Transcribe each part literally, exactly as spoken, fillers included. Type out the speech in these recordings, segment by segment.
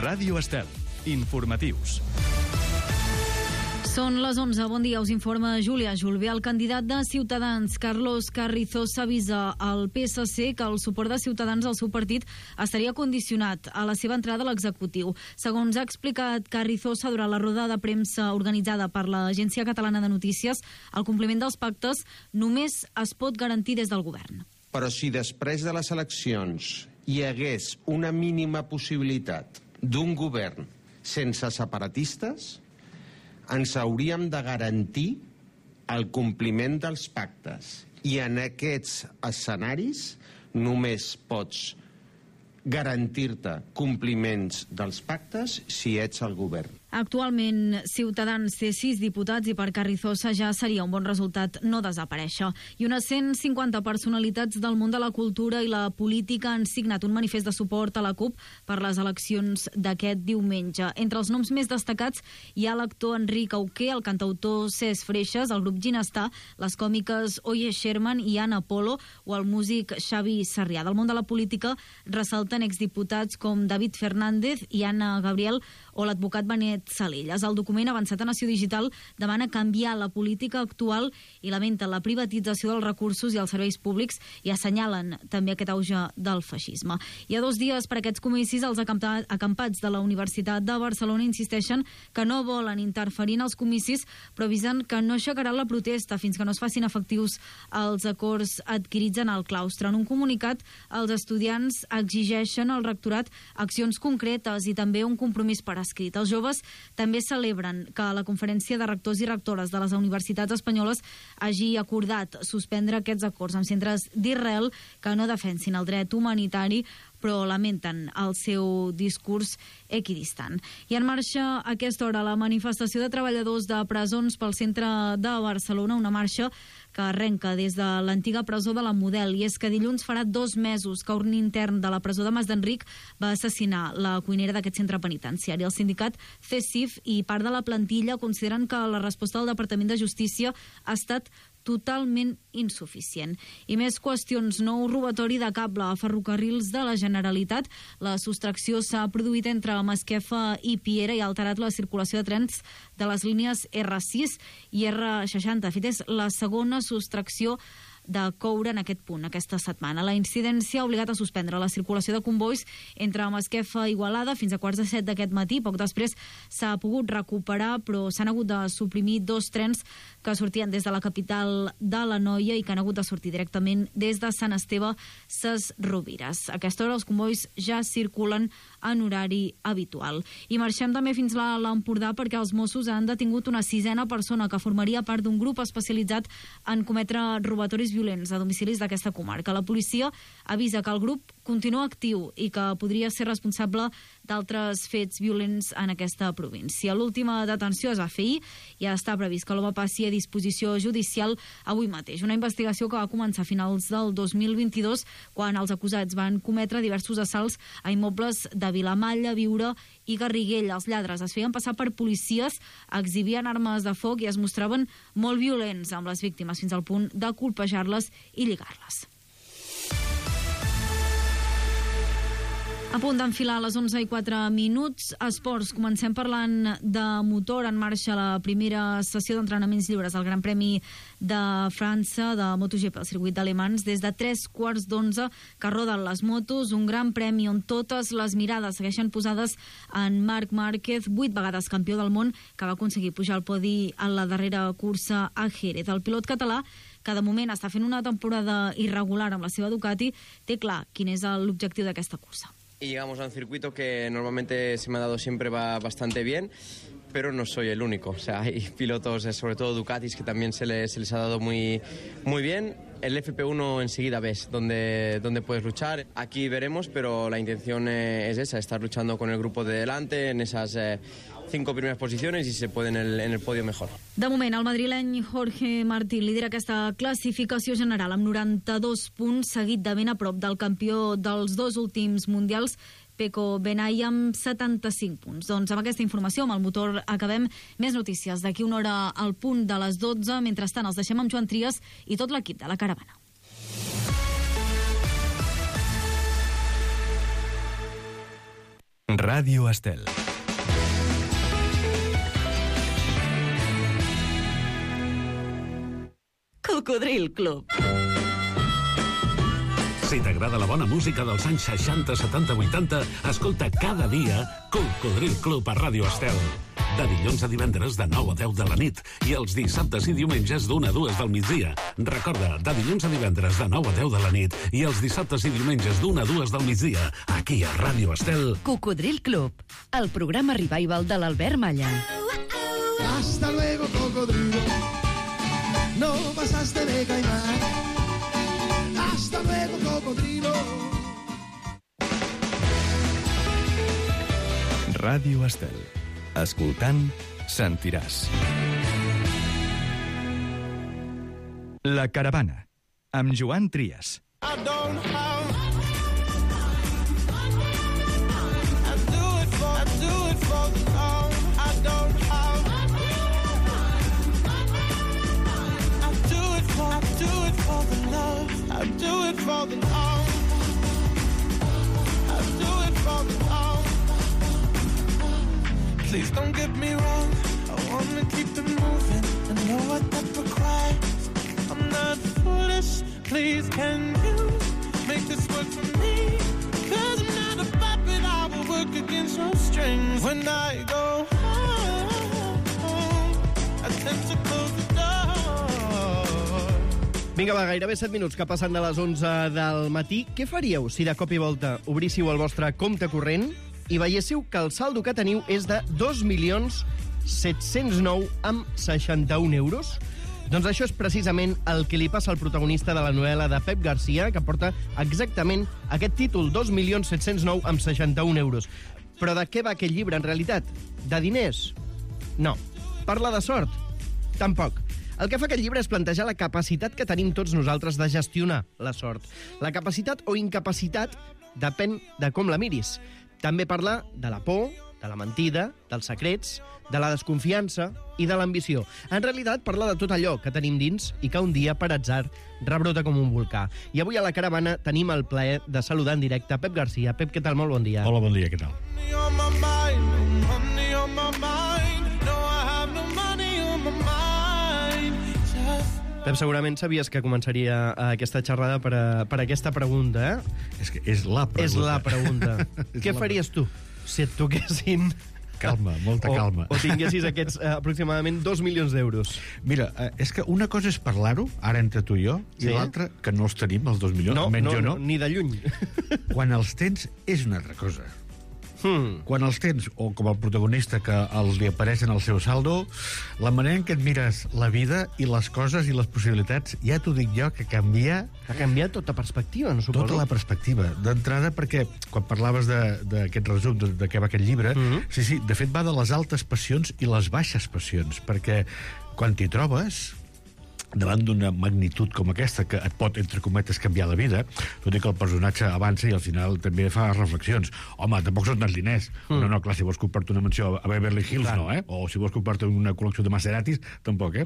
Ràdio Estel. Informatius. Són les onze. Bon dia, us informa Júlia Julve. El candidat de Ciutadans, Carlos Carrizosa, avisa al P S C que el suport de Ciutadans al seu partit estaria condicionat a la seva entrada a l'executiu. Segons ha explicat Carrizosa durant la roda de premsa organitzada per l'Agència Catalana de Notícies, el compliment dels pactes només es pot garantir des del govern. Però si després de les eleccions hi hagués una mínima possibilitat d'un govern sense separatistes, ens hauríem de garantir el compliment dels pactes. I en aquests escenaris només pots garantir-te compliments dels pactes si ets el govern. Actualment, Ciutadans té sis diputats i per Carrizosa ja seria un bon resultat no desaparèixer. I unes cent cinquanta personalitats del món de la cultura i la política han signat un manifest de suport a la CUP per les eleccions d'aquest diumenge. Entre els noms més destacats hi ha l'actor Enric Auqué, el cantautor Cesc Freixas, el grup Ginestar, les còmiques Oye Sherman i Ana Polo o el músic Xavi Sarrià. Del món de la política ressalten exdiputats com David Fernández i Anna Gabriel o l'advocat Benet Salellas. El document avançat a Nació Digital demana canviar la política actual i lamenta la privatització dels recursos i els serveis públics i assenyalen també aquest auge del feixisme. Hi ha dos dies per aquests comicis. Els acampats de la Universitat de Barcelona insisteixen que no volen interferir en els comicis, però avisen que no aixecaran la protesta fins que no es facin efectius els acords adquirits en el claustre. En un comunicat, els estudiants exigeixen al rectorat accions concretes i també un compromís per escrit. Els joves també celebren que la Conferència de Rectors i Rectores de les universitats espanyoles hagi acordat suspendre aquests acords amb centres d'Israel que no defensin el dret humanitari, però lamenten el seu discurs equidistant. I en marxa a aquesta hora la manifestació de treballadors de presons pel centre de Barcelona, una marxa que arrenca des de l'antiga presó de la Model, i és que dilluns farà dos mesos que un intern de la presó de Mas d'Enric va assassinar la cuinera d'aquest centre penitenciari. El sindicat C E S I F i part de la plantilla consideren que la resposta del Departament de Justícia ha estat totalment insuficient. I més qüestions. Nou robatori de cable a ferrocarrils de la Generalitat. La sostracció s'ha produït entre Masquefa i Piera i ha alterat la circulació de trens de les línies R sis i R seixanta. De fet, és la segona sostracció de coure en aquest punt aquesta setmana. La incidència ha obligat a suspendre la circulació de convois entre Masquefa i Igualada fins a quarts de set d'aquest matí. Poc després s'ha pogut recuperar, però s'han hagut de suprimir dos trens que sortien des de la capital de l'Anoia i que han hagut de sortir directament des de Sant Esteve Ses Rovires. A aquesta hora els convois ja circulen en horari habitual. I marxem també fins a l'Empordà perquè els Mossos han detingut una sisena persona que formaria part d'un grup especialitzat en cometre robatoris violents a domicilis d'aquesta comarca. La policia avisa que el grup continua actiu i que podria ser responsable d'altres fets violents en aquesta província. L'última detenció es va fer ahir i ja està previst que l'home passi a disposició judicial avui mateix. Una investigació que va començar a finals del dos mil vint-i-dos quan els acusats van cometre diversos assalts a immobles de Vilamalla, Viura i Garriguella. Els lladres es feien passar per policies, exhibien armes de foc i es mostraven molt violents amb les víctimes fins al punt de colpejar-les i lligar-les. A punt d'enfilar a les onze i quatre minuts. Esports. Comencem parlant de motor. En marxa la primera sessió d'entrenaments lliures al Gran Premi de França de MotoGP al circuit d'Alemans. Des de tres quarts d'onze que roden les motos. Un gran premi on totes les mirades segueixen posades en Marc Márquez, vuit vegades campió del món, que va aconseguir pujar al podi en la darrera cursa a Jerez. El pilot català, que de moment està fent una temporada irregular amb la seva Ducati, té clar quin és l'objectiu d'aquesta cursa. Y llegamos a un circuito que normalmente se me ha dado siempre va bastante bien, pero no soy el único. O sea, hay pilotos, sobre todo Ducatis, que también se les, se les ha dado muy, muy bien. El F P uno enseguida ves dónde, dónde puedes luchar. Aquí veremos, pero la intención eh, es esa, estar luchando con el grupo de delante en esas eh, cinco primeras posiciones y si se puede en el, en el podio mejor. De moment, el madrileny Jorge Martín lidera aquesta classificació general amb noranta-dos punts, seguit de ben a prop del campió dels dos últims mundials, Pecco Bagnaia, amb setanta-cinc punts. Doncs amb aquesta informació, amb el motor, acabem. Més notícies d'aquí una hora al punt de les dotze. Mentrestant, els deixem amb Joan Trias i tot l'equip de la Caravana. Ràdio Estel. Cocodril Club. Si t'agrada la bona música dels anys seixanta, setanta, vuitanta, escolta cada dia Cocodril Club a Ràdio Estel. De dilluns a divendres de nou a deu de la nit i els dissabtes i diumenges d'una a dues del migdia. Recorda, de dilluns a divendres de nou a deu de la nit i els dissabtes i diumenges d'una a dues del migdia, aquí a Ràdio Estel. Cocodril Club, el programa revival de l'Albert Malla. Hasta luego, cocodrilo. No pasaste de caimán. Hasta luego, cocodrilo. Ràdio Estel. Escoltant, sentiràs. La Caravana, amb Joan Trias. I don't have. I do it for, I do it for the love. I don't have. I do it for, I do it for the love. I do it for the love. I do it for the love. Please don't get me wrong. I wanna keep it moving. I know what that requires. I'm not foolish. Please, can you make this work for me? Cause I'm not a puppet. I will work against your strings. When I go home, I tend to close the door. Vinga, va, gairebé set minuts que passen de les onze del matí. Què faríeu si de cop i volta obríssiu el vostre compte corrent i veiéssiu que el saldo que teniu és de dos milions set-cents nou amb seixanta-un euros? Doncs això és precisament el que li passa al protagonista de la novel·la de Pep Garcia, que porta exactament aquest títol, dos milions set-cents nou amb seixanta-un euros. Però de què va aquest llibre, en realitat? De diners? No. Parla de sort? Tampoc. El que fa aquest llibre és plantejar la capacitat que tenim tots nosaltres de gestionar la sort. La capacitat o incapacitat depèn de com la miris. També parla de la por, de la mentida, dels secrets, de la desconfiança i de l'ambició. En realitat, parla de tot allò que tenim dins i que un dia, per atzar, rebrota com un volcà. I avui a la Caravana tenim el plaer de saludar en directe Pep Garcia. Pep, què tal? Molt bon dia. Hola, bon dia, què tal? Pep, segurament sabies que començaria aquesta xerrada per, a, per aquesta pregunta, eh? És que és la pregunta. És la pregunta. És Què la... faries tu si et toquessin... Calma, molta o, calma. O tinguessis aquests eh, aproximadament dos milions d'euros. Mira, eh, és que una cosa és parlar-ho, ara entre tu i jo, Sí? i l'altra, que no els tenim, els dos milions, No, almenys no, jo no, no. ni de lluny. Quan els tens, és una altra cosa. Hmm. Quan els tens, o com el protagonista que els li apareixen al seu saldo, la manera en què et mires la vida i les coses i les possibilitats, ja t'ho dic jo, que canvia Ha canviat tota perspectiva, no suposo? tota la perspectiva. D'entrada, perquè quan parlaves d'aquest resum, de, de què va aquest llibre, Mhm. sí, sí, de fet va de les altes passions i les baixes passions, perquè quan t'hi trobes davant d'una magnitud com aquesta, que et pot, entre cometes, canviar la vida, tot i que el personatge avança i al final també fa reflexions. Home, tampoc són tants diners. Mm. No, no, clar, si vols comprar-te una mansió a Beverly Hills, clar. No, eh? O si vols comprar-te una col·lecció de Maseratis, tampoc, eh?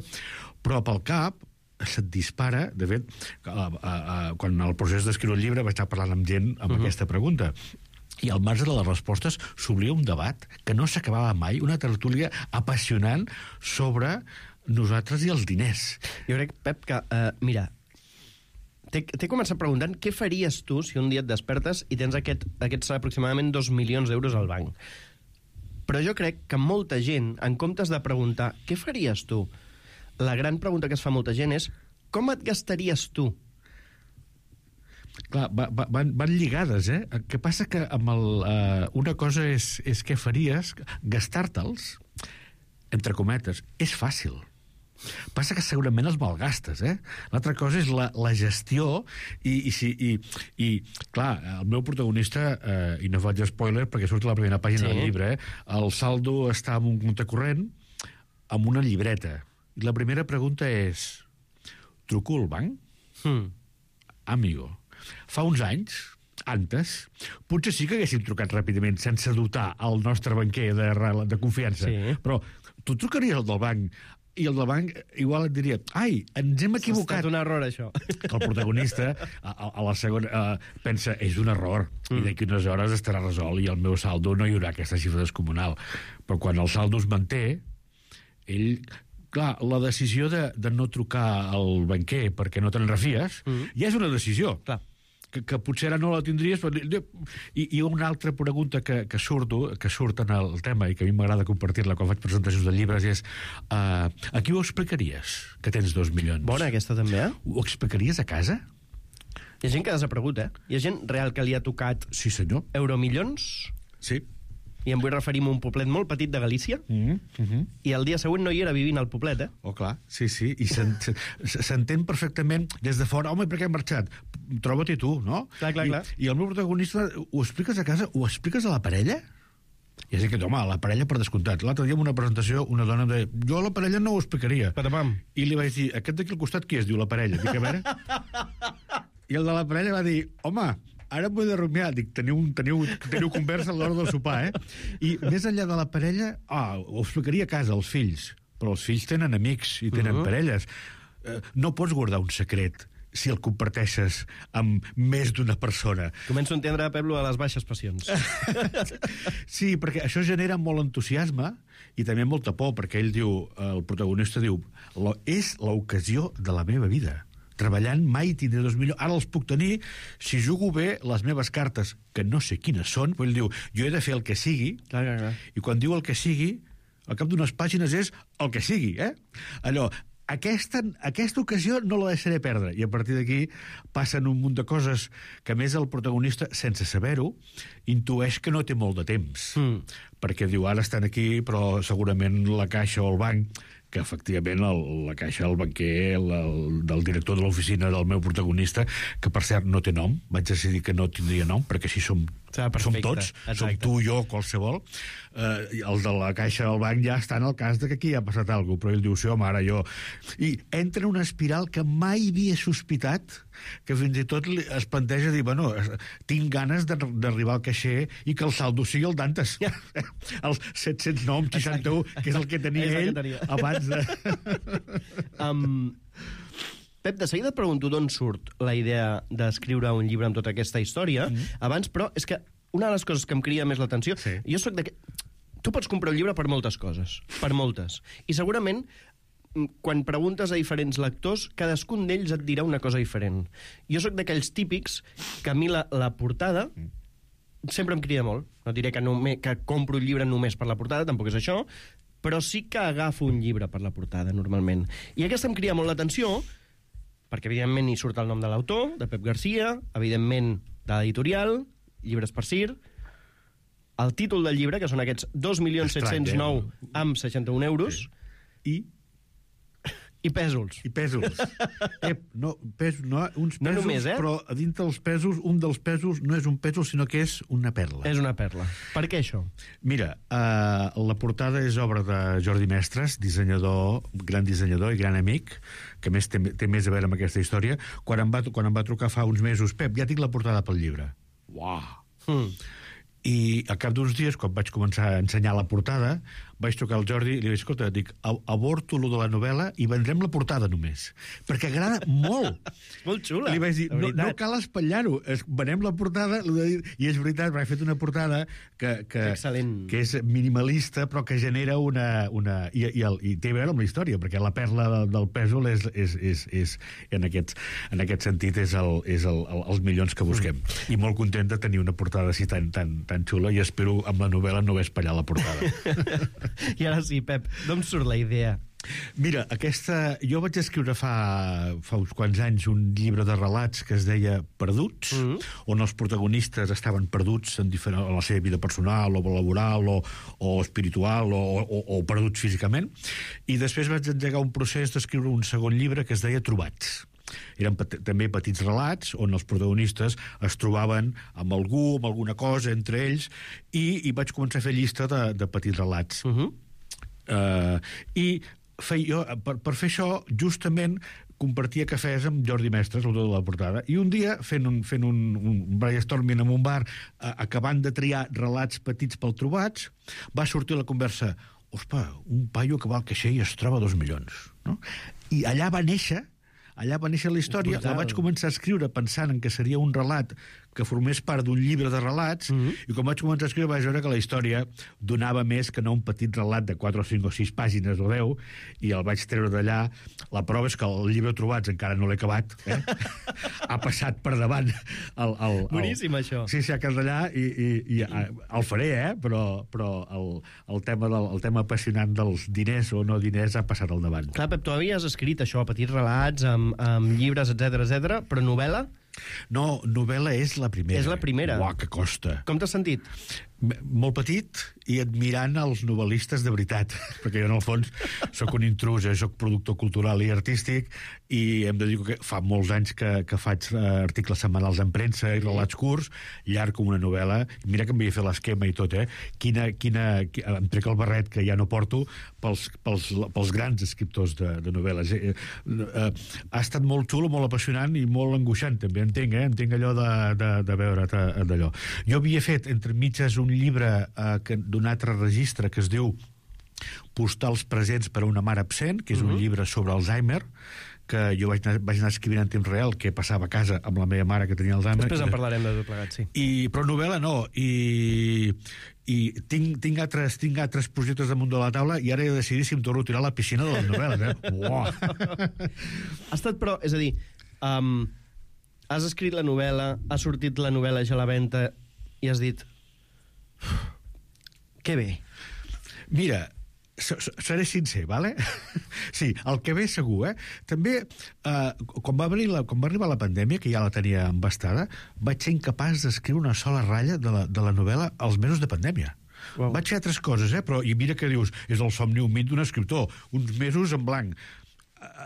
Però pel cap se't dispara, de fet, a, a, a, quan el procés d'escriure el llibre vaig estar parlant amb gent amb uh-huh. aquesta pregunta. I al marge de les respostes s'obria un debat que no s'acabava mai, una tertúlia apassionant sobre nosaltres i els diners. Jo crec, Pep, que, uh, mira, t'he començat preguntant què faries tu si un dia et despertes i tens aquest, aquests aproximadament dos milions d'euros al banc. Però jo crec que molta gent, en comptes de preguntar què faries tu, la gran pregunta que es fa molta gent és com et gastaries tu? Clar, va, va, van, van lligades, eh? El que passa que amb el, uh, una cosa és, és què faries, gastar-te'ls, entre cometes, és fàcil. Passa que segurament els malgastes, eh? L'altra cosa és la, la gestió i, i, si, i, i, clar, el meu protagonista, eh, i no faig spoiler perquè surt a la primera pàgina sí. del llibre, eh? El saldo està en un compte corrent amb una llibreta. I la primera pregunta és: truco al banc? Hmm. Amigo, fa uns anys, antes, potser sí que haguéssim trucat ràpidament sense dotar el nostre banquer de, de confiança. Sí. Però tu trucaries al del banc i el del banc igual et diria ai, ens hem equivocat. Ha estat un error, això. Que el protagonista a, a la segona uh, pensa, és un error, mm. i d'aquí unes hores estarà resolt i el meu saldo no hi haurà aquesta xifra descomunal. Però quan el saldo es manté, ell... Clar, la decisió de, de no trucar al banquer perquè no te'n refies, mm. ja és una decisió. Clar. Que, que potser ara no la tindries, però... I, i una altra pregunta que, que, surto, que surt en el tema i que a mi m'agrada compartir-la quan faig presentacions de llibres és uh, a qui ho explicaries, que tens dos milions? Bona, aquesta també, eh? Ho explicaries a casa? Hi ha gent que ha desaparegut, eh? Hi ha gent real que li ha tocat... Sí, senyor. Euromillons. Sí. I em vull referir a un poblet molt petit de Galícia, mm -hmm. i el dia següent no hi era vivint al poblet, eh? Oh, clar, sí, sí, i s'entén perfectament des de fora, home, per què hem marxat? Troba-t'hi tu, no? Clar, clar, I, clar. I el meu protagonista, ho expliques a casa? Ho expliques a la parella? I és que, home, la parella per descomptat. L'altre dia en una presentació una dona em deia, jo a la parella no ho explicaria. Patapam. I li vaig dir, aquest d'aquí al costat qui es diu la parella? Dic, a veure... I el de la parella va dir, home, ara m'ho he de rumiar. Dic, teniu, teniu, teniu conversa a l'hora del sopar, eh? I més enllà de la parella, ah, ho explicaria a casa, als fills. Però els fills tenen amics i tenen uh -huh. parelles. Eh, no pots guardar un secret si el comparteixes amb més d'una persona. Començo a entendre, Pep, a les baixes passions. Sí, perquè això genera molt entusiasme i també molta por, perquè ell diu, el protagonista diu, és l'ocasió de la meva vida. Treballant mai tindré dos milions. Ara els puc tenir si jugo bé les meves cartes, que no sé quines són, però ell diu, jo he de fer el que sigui, clar, clar, clar. I quan diu el que sigui, al cap d'unes pàgines és el que sigui, eh? Allò, aquesta, aquesta ocasió no la deixaré perdre. I a partir d'aquí passen un munt de coses que, a més, el protagonista, sense saber-ho, intueix que no té molt de temps. Mm. Perquè diu, ara estan aquí, però segurament la caixa o el banc, que efectivament el, la caixa, el banquer, el, el, del director de l'oficina del meu protagonista, que per cert no té nom, vaig decidir que no tindria nom, perquè així som, ah, som tots, exacte. Som tu, jo, qualsevol. Eh, el de la caixa del banc ja està en el cas de que aquí ha passat alguna cosa, però ell diu, sí, home, ara jo... I entra en una espiral que mai havia sospitat, que fins i tot es planteja dir, bueno, tinc ganes d'arribar al caixer i que el saldo sigui el d'antes. Els set-cents nou coma seixanta-u, que és el que tenia ell que tenia. Abans de... um, Pep, de seguida et pregunto d'on surt la idea d'escriure un llibre amb tota aquesta història. Mm. Abans, però, és que una de les coses que em crida més l'atenció... Sí. Jo soc de... Tu pots comprar un llibre per moltes coses, per moltes. I segurament, quan preguntes a diferents lectors, cadascun d'ells et dirà una cosa diferent. Jo sóc d'aquells típics que a mi la, la portada sempre em crida molt. No diré que, només, que compro un llibre només per la portada, tampoc és això, però sí que agafo un llibre per la portada, normalment. I aquesta em crida molt l'atenció, perquè, evidentment, hi surt el nom de l'autor, de Pep Garcia, evidentment, de l'editorial, Llibres per Sir, el títol del llibre, que són aquests dos milions set-cents nou amb seixanta-un euros, sí. i... I pèsols. I pèsols. eh, no, pes, no, uns pèsols, no només, eh? Però a dintre dels pèsols, un dels pèsols no és un pèsol, sinó que és una perla. És una perla. Per què això? Mira, uh, la portada és obra de Jordi Mestres, dissenyador, gran dissenyador i gran amic, que més té, té més a veure amb aquesta història. Quan em va, quan em va trucar fa uns mesos, Pep, ja tinc la portada pel llibre. Uau! Hmm. I al cap d'uns dies, quan vaig començar a ensenyar la portada, vaig trucar al Jordi i li vaig dir, escolta, dic, aborto lo de la novel·la i vendrem la portada només. Perquè agrada molt. Molt xula. Li vaig dir, no, no cal espatllar-ho, venem la portada, i és veritat, he fet una portada que, que, que és minimalista, però que genera una... una i, i, el, i té a veure amb la història, perquè la perla del, del pèsol és, és, és, és en, aquest, en aquest sentit és, el, és el, el, els milions que busquem. Mm. I molt content de tenir una portada així tan, tan, tan xula, i espero amb la novel·la no haver espatllat la portada. I ara sí, Pep, d'on surt la idea? Mira, aquesta... Jo vaig escriure fa, fa uns quants anys un llibre de relats que es deia Perduts, mm-hmm. on els protagonistes estaven perduts en, diferent, en la seva vida personal o laboral o, o espiritual o, o, o perduts físicament. I després vaig engegar un procés d'escriure un segon llibre que es deia Trobats. Eren pet- també petits relats on els protagonistes es trobaven amb algú, amb alguna cosa entre ells, i, i vaig començar a fer llista de, de petits relats. Uh-huh. Uh, I feia, jo, per, per fer això, justament compartia cafès amb Jordi Mestres, l'autor de la portada, i un dia, fent un, fent un, un brainstorming en un bar, uh, acabant de triar relats petits pel Trobats, va sortir la conversa: ospa, un paio que val caixer i es troba dos milions. No? I allà va néixer, allà va néixer la història, la vaig començar a escriure pensant en que seria un relat que formés part d'un llibre de relats, mm-hmm. i quan vaig començar a escriure vaig veure que la història donava més que no un petit relat de quatre o cinc o sis pàgines o deu, i el vaig treure d'allà. La prova és que el llibre Trobats encara no l'he acabat, eh? Ha passat per davant el... el, el Boníssim, això. Sí, sí, ha quedat allà, i, i, i el faré, eh? Però, però el, el, tema del, el tema apassionant dels diners o no diners ha passat al davant. Clar, Pep, tu havies escrit això, petits relats, amb, amb llibres, etcètera, etcètera, però novel·la? No, novel·la és la primera. És la primera. Uau, que costa. Com t'has sentit? Molt petit i admirant els novel·listes de veritat, perquè jo, en el fons, sóc un intrus, eh? Sóc productor cultural i artístic, i hem de dir que fa molts anys que, que faig articles setmanals en premsa i relats curts, llarg com una novel·la. Mira que em vaig fer l'esquema i tot, eh? Quina, quina, em trec el barret, que ja no porto, pels, pels, pels grans escriptors de, de novel·les. Eh, eh, ha estat molt xulo, molt apassionant i molt angoixant, també, entenc, eh? Entenc allò de, de, de veure d'allò. Jo havia fet, entre mitges, un llibre eh, d'un altre registre que es diu Postals presents per a una mare absent, que és un uh-huh. llibre sobre Alzheimer, que jo vaig anar, vaig anar escrivint en temps real què passava a casa amb la meva mare que tenia Alzheimer. Després en parlarem de tot plegat, sí. I, però novel·la no, i, i tinc, tinc, altres, tinc altres projectes damunt de la taula i ara he de decidir si em torno a tirar a la piscina de les novel·les, eh? Uau! Ha estat, però, és a dir, um, has escrit la novel·la, ha sortit la novel·la ja a la venda i has dit... Que bé. Mira, seré sincer, vale? Sí, el que ve segur, eh? També, eh, quan, va la, quan va arribar la pandèmia, que ja la tenia embastada, vaig ser incapaç d'escriure una sola ratlla de la, de la novel·la als mesos de pandèmia. Wow. Vaig fer altres coses, eh? Però, i mira que dius, és el somni humit d'un escriptor, uns mesos en blanc.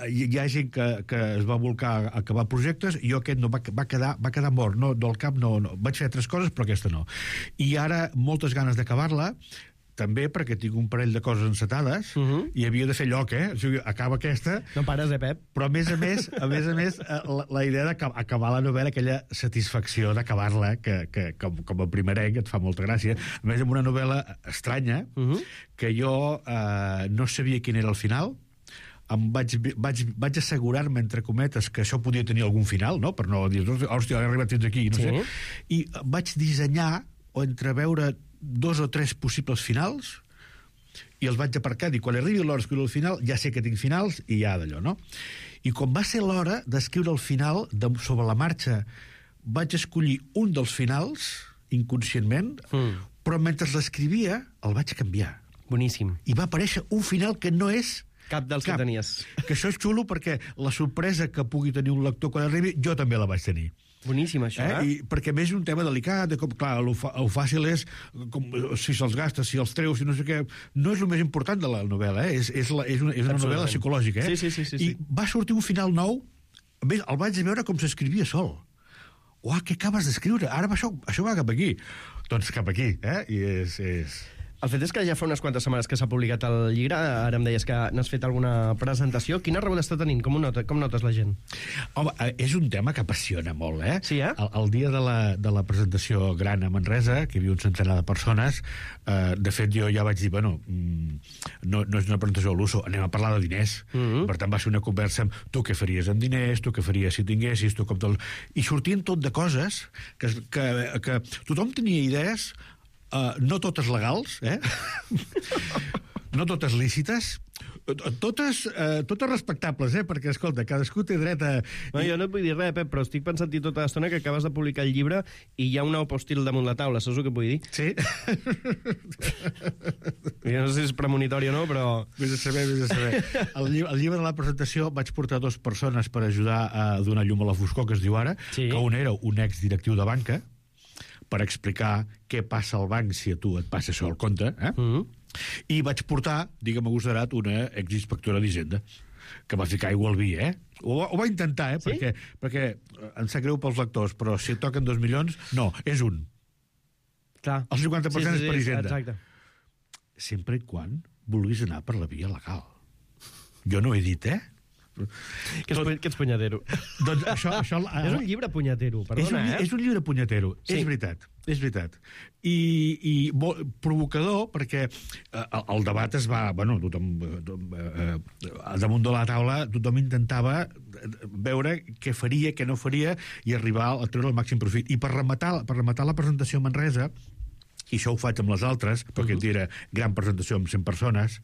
Hi, hi ha gent que, que es va volcar a acabar projectes i jo aquest no, va, va, quedar, va quedar mort, no, del cap no, no. Vaig fer altres coses però aquesta no, i ara moltes ganes d'acabar-la, també perquè tinc un parell de coses encetades uh-huh. i havia de fer lloc, eh? O sigui, acaba aquesta... No pares, eh, Pep? Però a més a més, a més, a més la, la idea d'acabar la novel·la, aquella satisfacció d'acabar-la, que, que com, com a primerenc et fa molta gràcia, a més amb una novel·la estranya, uh-huh. que jo eh, no sabia quin era el final, em vaig, vaig, vaig assegurar-me, entre cometes, que això podia tenir algun final, no? Per no dir, hòstia, he arribat fins aquí, no sí. sé. I vaig dissenyar o entreveure dos o tres possibles finals i els vaig aparcar, i quan arribi l'hora d'escriure el final, ja sé que tinc finals i ja d'allò, no? I quan va ser l'hora d'escriure el final, de, sobre la marxa, vaig escollir un dels finals, inconscientment, mm. però mentre l'escrivia, el vaig canviar. Boníssim. I va aparèixer un final que no és cap dels cap. Que tenies. Que això és xulo perquè la sorpresa que pugui tenir un lector quan arribi, jo també la vaig tenir. Boníssim, això, eh? eh? I, perquè a més és un tema delicat, de com, clar, el, el fàcil és com, si se'ls gastes, si els treus, si no sé què... No és el més important de la novel·la, eh? És, és, la, és, una, és una novel·la psicològica, eh? Sí, sí, sí, sí, I sí. va sortir un final nou, a més, el vaig veure com s'escrivia sol. Uah, què acabes d'escriure? Ara això, això va cap aquí. Doncs cap aquí, eh? I és... és... El fet és que ja fa unes quantes setmanes que s'ha publicat el llibre, ara em deies que n'has fet alguna presentació. Quina rebuda està tenint? Com, nota, com notes la gent? Home, és un tema que apassiona molt, eh? Sí, eh? El, el dia de la, de la presentació gran a Manresa, que hi havia un centenar de persones, eh, de fet jo ja vaig dir, bueno, no, no és una presentació a l'uso, anem a parlar de diners. Mm-hmm. Per tant, va ser una conversa amb tu què faries amb diners, tu què faries si tinguessis, tu com tot... I sortien tot de coses que, que, que tothom tenia idees. Uh, no totes legals, eh? No totes lícites, totes, uh, totes respectables, eh? Perquè, escolta, cadascú té dret a... No, jo no et vull dir res, Pep, però estic pensant-hi tota l'estona que acabes de publicar el llibre i hi ha un nou postil damunt la taula, saps el que vull dir? Sí. Jo no sé si és premonitori o no, però... Vés a saber, vés a saber. El, lli el llibre de la presentació vaig portar dues persones per ajudar a donar llum a la foscor, que es diu ara, sí. Que un era un exdirectiu de banca, per explicar què passa al banc si a tu et passa això al compte, eh? Mm-hmm. I vaig portar, digue'm agosarat, una exinspectora d'Hisenda, que va ficar aigua al vi, eh? Ho, ho va intentar, eh? Sí? Perquè, perquè em sap greu pels lectors, però si et toquen dos milions, no, és un. Clar. El cinquanta per cent sí, sí, sí, és per Hisenda. Exacte. Sempre i quan vulguis anar per la via legal. Jo no he dit, eh? Que ets, que ets punyatero. Doncs això... això és un llibre punyatero, perdona, és un, eh? És un llibre punyatero, sí. És veritat. És veritat. I, i bo, provocador, perquè eh, el debat es va... Bueno, tothom... Eh, eh, damunt de la taula tothom intentava veure què faria, què no faria, i arribar a treure el màxim profit. I per rematar, per rematar la presentació a Manresa, i això ho faig amb les altres, perquè uh -huh. era gran presentació amb cent persones,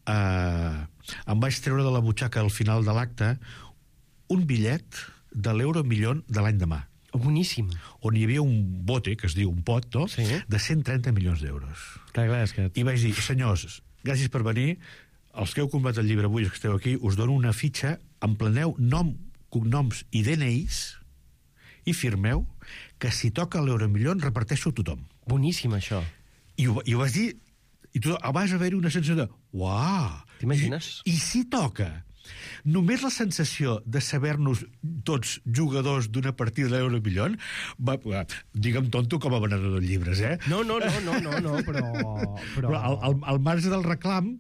eh, em vaig treure de la butxaca al final de l'acte un bitllet de l'euro milió de l'any demà. Oh, boníssim. On hi havia un bote, que es diu un pot, no? Sí. De cent trenta milions d'euros. Clar, clar, és que... I vaig dir, senyors, gràcies per venir, els que heu comprat el llibre avui, els que esteu aquí, us dono una fitxa, empleneu nom, cognoms i D N Is i firmeu que si toca l'euromilió reparteixo a tothom. Boníssim, això. I ho, i ho vas dir, i tu vas haver-hi una sensació de uau! T'imagines? I, I si toca? Només la sensació de saber-nos tots jugadors d'una partida de l'euromilió, digue'm tonto com a venedor de llibres, eh? No, no, no, no, no, no però... Però, però al, al, al marge del reclam...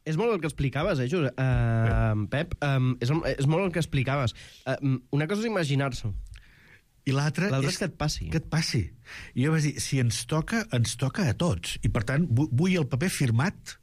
És molt el que explicaves, eh, Josep? Uh, Pep, um, és, és molt el que explicaves. Uh, una cosa és imaginar-s'ho. I l'altra és, és que et passi. Que et passi. I jo vaig dir, si ens toca, ens toca a tots. I, per tant, vull el paper firmat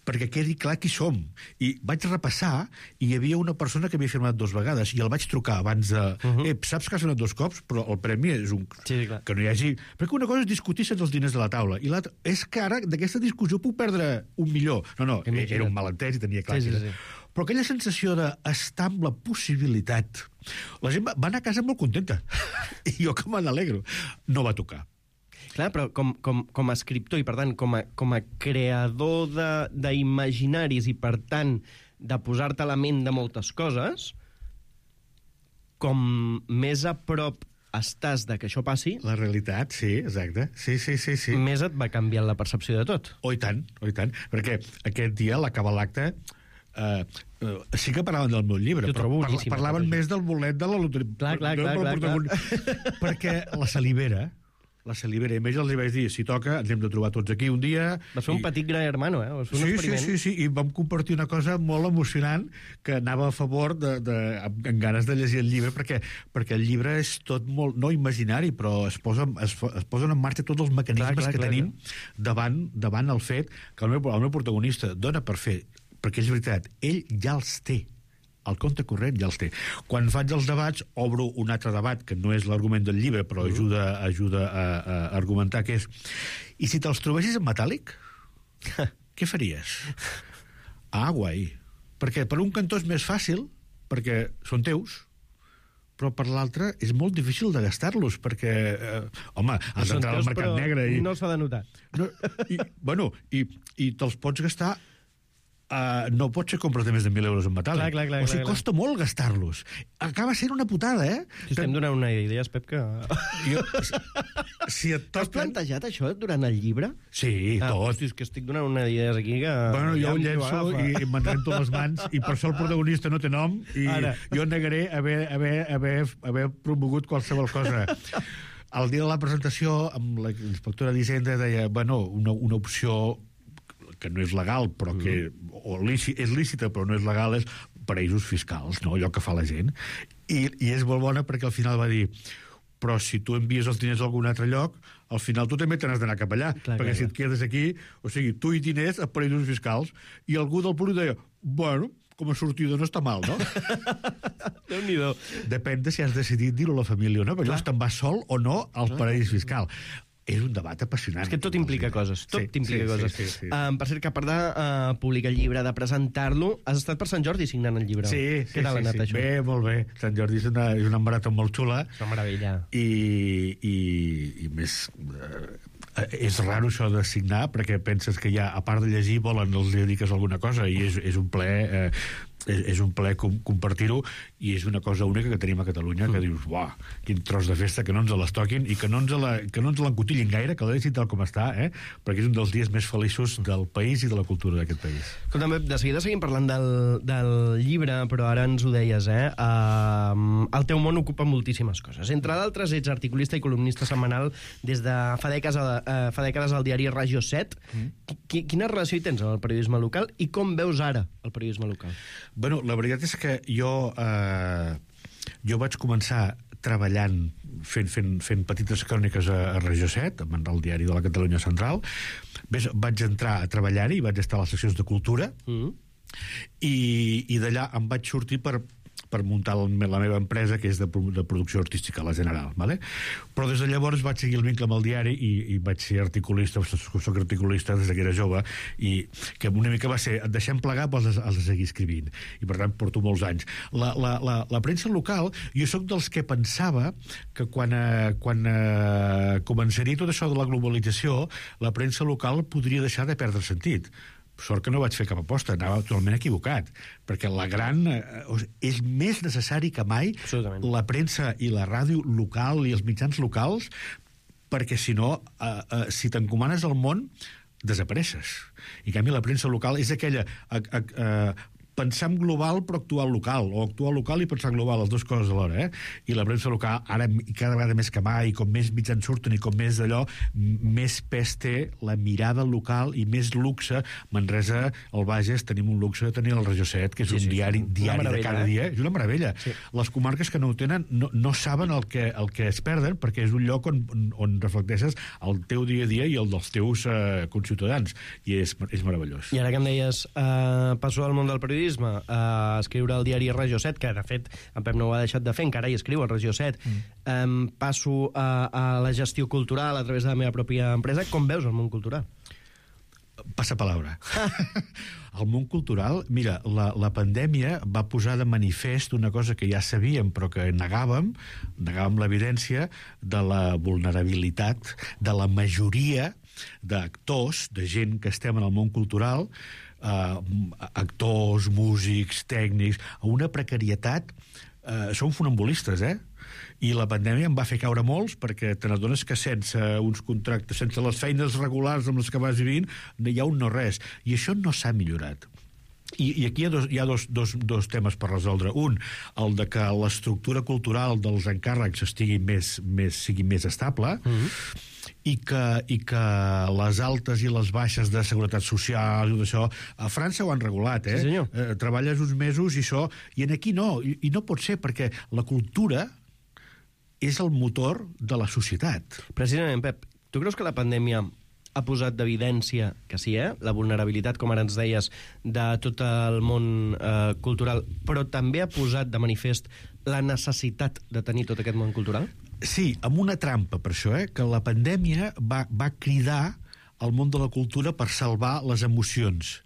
perquè quedi clar qui som. I vaig repassar, i hi havia una persona que havia firmat dues vegades, i el vaig trucar abans de... Uh -huh. Eh, saps que has firmat dos cops, però el premi és un... Sí, clar. Que no hi hagi... Perquè una cosa és discutir sense els diners de la taula, i l'altra és que ara d'aquesta discussió puc perdre un milió. No, no, Imagina't. Era un malentès i tenia clar. Sí, sí, sí. Però aquella sensació d'estar amb la possibilitat... La gent va anar a casa molt contenta. I jo que me n'alegro. No va tocar. Clar, però com, com, com a escriptor i, per tant, com a, com a creador d'imaginaris i, per tant, de posar-te a la ment de moltes coses, com més a prop estàs de que això passi... La realitat, sí, exacte. Sí, sí, sí, sí. Més et va canviar la percepció de tot. Oh, i tant, oh, i tant. Perquè aquest dia, a l'acabar l'acte, Uh, uh, sí que parlaven del meu llibre, però parla, parlaven més del bolet de la loteria. Clar, clar, clar, clar, clar. Perquè la salivera, la salivera, i més els vaig dir, si toca, ens hem de trobar tots aquí un dia... Va ser un i... petit gran hermano, eh? Va ser un sí, experiment. sí, sí, sí, i vam compartir una cosa molt emocionant que anava a favor de, de, amb ganes de llegir el llibre, perquè, perquè el llibre és tot molt, no imaginari, però es, posa, es, es posen en marxa tots els mecanismes clar, clar, que clar, tenim clar. Davant, davant el fet que el meu, el meu protagonista dona per fer, perquè és veritat, ell ja els té. El compte corrent ja els té. Quan faig els debats, obro un altre debat, que no és l'argument del llibre, però uh -huh. ajuda, ajuda a, a argumentar què és. I si te'ls trobessis en metàl·lic, què faries? Ah, guai. Perquè per un cantó és més fàcil, perquè són teus, però per l'altre és molt difícil de gastar-los, perquè, eh, home, has d'entrar al mercat negre i... no s'ha de notar. No, i, bueno, i, i te'ls pots gastar... Uh, no pot ser compres de més de mil euros en metàl·lic. Clar, clar, clar, o sigui, clar, costa clar. molt gastar-los. Acaba sent una putada, eh? Si estem donant una idea, Pep, que... Jo, si et toquen... Has plantejat això durant el llibre? Sí, ah, tot. Hosti, és que estic donant una idea aquí que... Bueno, jo ho llenço i, i me'n rento les mans, i per això el protagonista no té nom, i Ara. jo negaré haver, haver, haver, haver promogut qualsevol cosa. El dia de la presentació, amb la inspectora d'Hisenda deia, bueno, una, una opció que no és legal, però que o lícit, és lícita però no és legal, és paraïsos fiscals, no? Allò que fa la gent. I, i és molt bona perquè al final va dir, però si tu envies els diners a algun altre lloc, al final tu també te n'has d'anar cap allà, clar, perquè clar, si et quedes aquí, o sigui, tu i diners a paraïsos fiscals, i algú del públic deia, bueno, com a sortida no està mal, no? Déu-n'hi-do. Depèn de si has decidit dir-ho a la família o no, perquè llavors te'n vas sol o no al paraís fiscal. És un debat apassionant. És que tot implica coses, tot sí, implica sí, coses. Sí, sí, sí. Um, per cert, que a part de uh, publicar el llibre, de presentar-lo, has estat per Sant Jordi signant el llibre. Sí, sí, Què tal sí, anat, sí. això? Bé, molt bé. Sant Jordi és una, és una marató molt xula. És una meravella. I, i, i més... Uh, és raro això de signar, perquè penses que ja, a part de llegir, volen els dediques alguna cosa, i és, és un plaer... Uh, és, és un plaer com, compartir-ho, i és una cosa única que tenim a Catalunya, que mm. dius, uah, quin tros de festa, que no ens les toquin i que no ens la, que no ens l'encotillin gaire, que la deixin tal com està, eh? Perquè és un dels dies més feliços del país i de la cultura d'aquest país. Escolta'm, de seguida seguim parlant del, del llibre, però ara ens ho deies, eh? Uh, el teu món ocupa moltíssimes coses. Entre d'altres, ets articulista i columnista setmanal des de fa dècades, a, uh, fa dècades al diari Regió set. Mm. Quina relació hi tens amb el periodisme local i com veus ara el periodisme local? Bueno, la veritat és que jo, eh, jo vaig començar treballant, fent, fent, fent petites cròniques a, a Regió set, al diari de la Catalunya Central. Ves, vaig entrar a treballar-hi, vaig estar a les seccions de cultura, mm. i, i d'allà em vaig sortir per per muntar la meva empresa, que és de, de producció artística, la General, ¿vale? Però des de llavors vaig seguir el vincle amb el diari i, i vaig ser articulista, soc articulista des que era jove, i que una mica va ser, et deixem plegar, però has de, has de seguir escrivint. I per tant porto molts anys. La, la, la, la premsa local, jo sóc dels que pensava que quan, eh, quan eh, començaria tot això de la globalització, la premsa local podria deixar de perdre sentit. Sort que no vaig fer cap aposta, anava totalment equivocat, perquè la gran... Eh, és més necessari que mai la premsa i la ràdio local i els mitjans locals, perquè si no, eh, eh, si t'encomanes al món, desapareixes. I en canvi la premsa local és aquella... Eh, eh, pensar en global però actuar local, o actuar local i pensar en global, les dues coses alhora, eh? I la premsa local, ara cada vegada més que mai, i com més mitjans surten i com més d'allò, més pes té la mirada local i més luxe. Manresa, al Bages, tenim un luxe de tenir el Regió set, que és sí, un sí, diari, diari de cada eh? dia. És una meravella. Sí. Les comarques que no ho tenen no, no saben el que, el que es perden, perquè és un lloc on, on reflecteixes el teu dia a dia i el dels teus eh, conciutadans. I és, és meravellós. I ara que em deies, eh, passo al món del periodisme, a escriure al diari Regió set, que de fet en Pep no ho ha deixat de fer, encara hi escriu al Regió set. Mm. Um, passo a, a la gestió cultural a través de la meva pròpia empresa. Com veus el món cultural? Passa palabra. El món cultural, mira, la, la pandèmia va posar de manifest una cosa que ja sabíem però que negàvem, negàvem l'evidència de la vulnerabilitat de la majoria d'actors, de gent que estem en el món cultural, Uh, actors, músics, tècnics, a una precarietat. Uh, són funambulistes, eh? I la pandèmia en va fer caure molts, perquè te n'adones que sense uns contractes, sense les feines regulars amb les que vas vivint, hi ha un no res. I això no s'ha millorat. I, i aquí hi ha, dos, hi ha dos, dos, dos temes per resoldre. Un, el de que l'estructura cultural dels encàrrecs estigui més, més, sigui més estable, mm-hmm. i que, i que les altes i les baixes de seguretat social i tot això, a França ho han regulat, eh? Sí, senyor. Eh, treballes uns mesos i això, i en aquí no, i, i no pot ser, perquè la cultura és el motor de la societat. Precisament, Pep, tu creus que la pandèmia ha posat d'evidència, que sí, eh? La vulnerabilitat, com ara ens deies, de tot el món eh, cultural, però també ha posat de manifest la necessitat de tenir tot aquest món cultural? Sí, amb una trampa, per això, eh? Que la pandèmia va, va cridar al món de la cultura per salvar les emocions.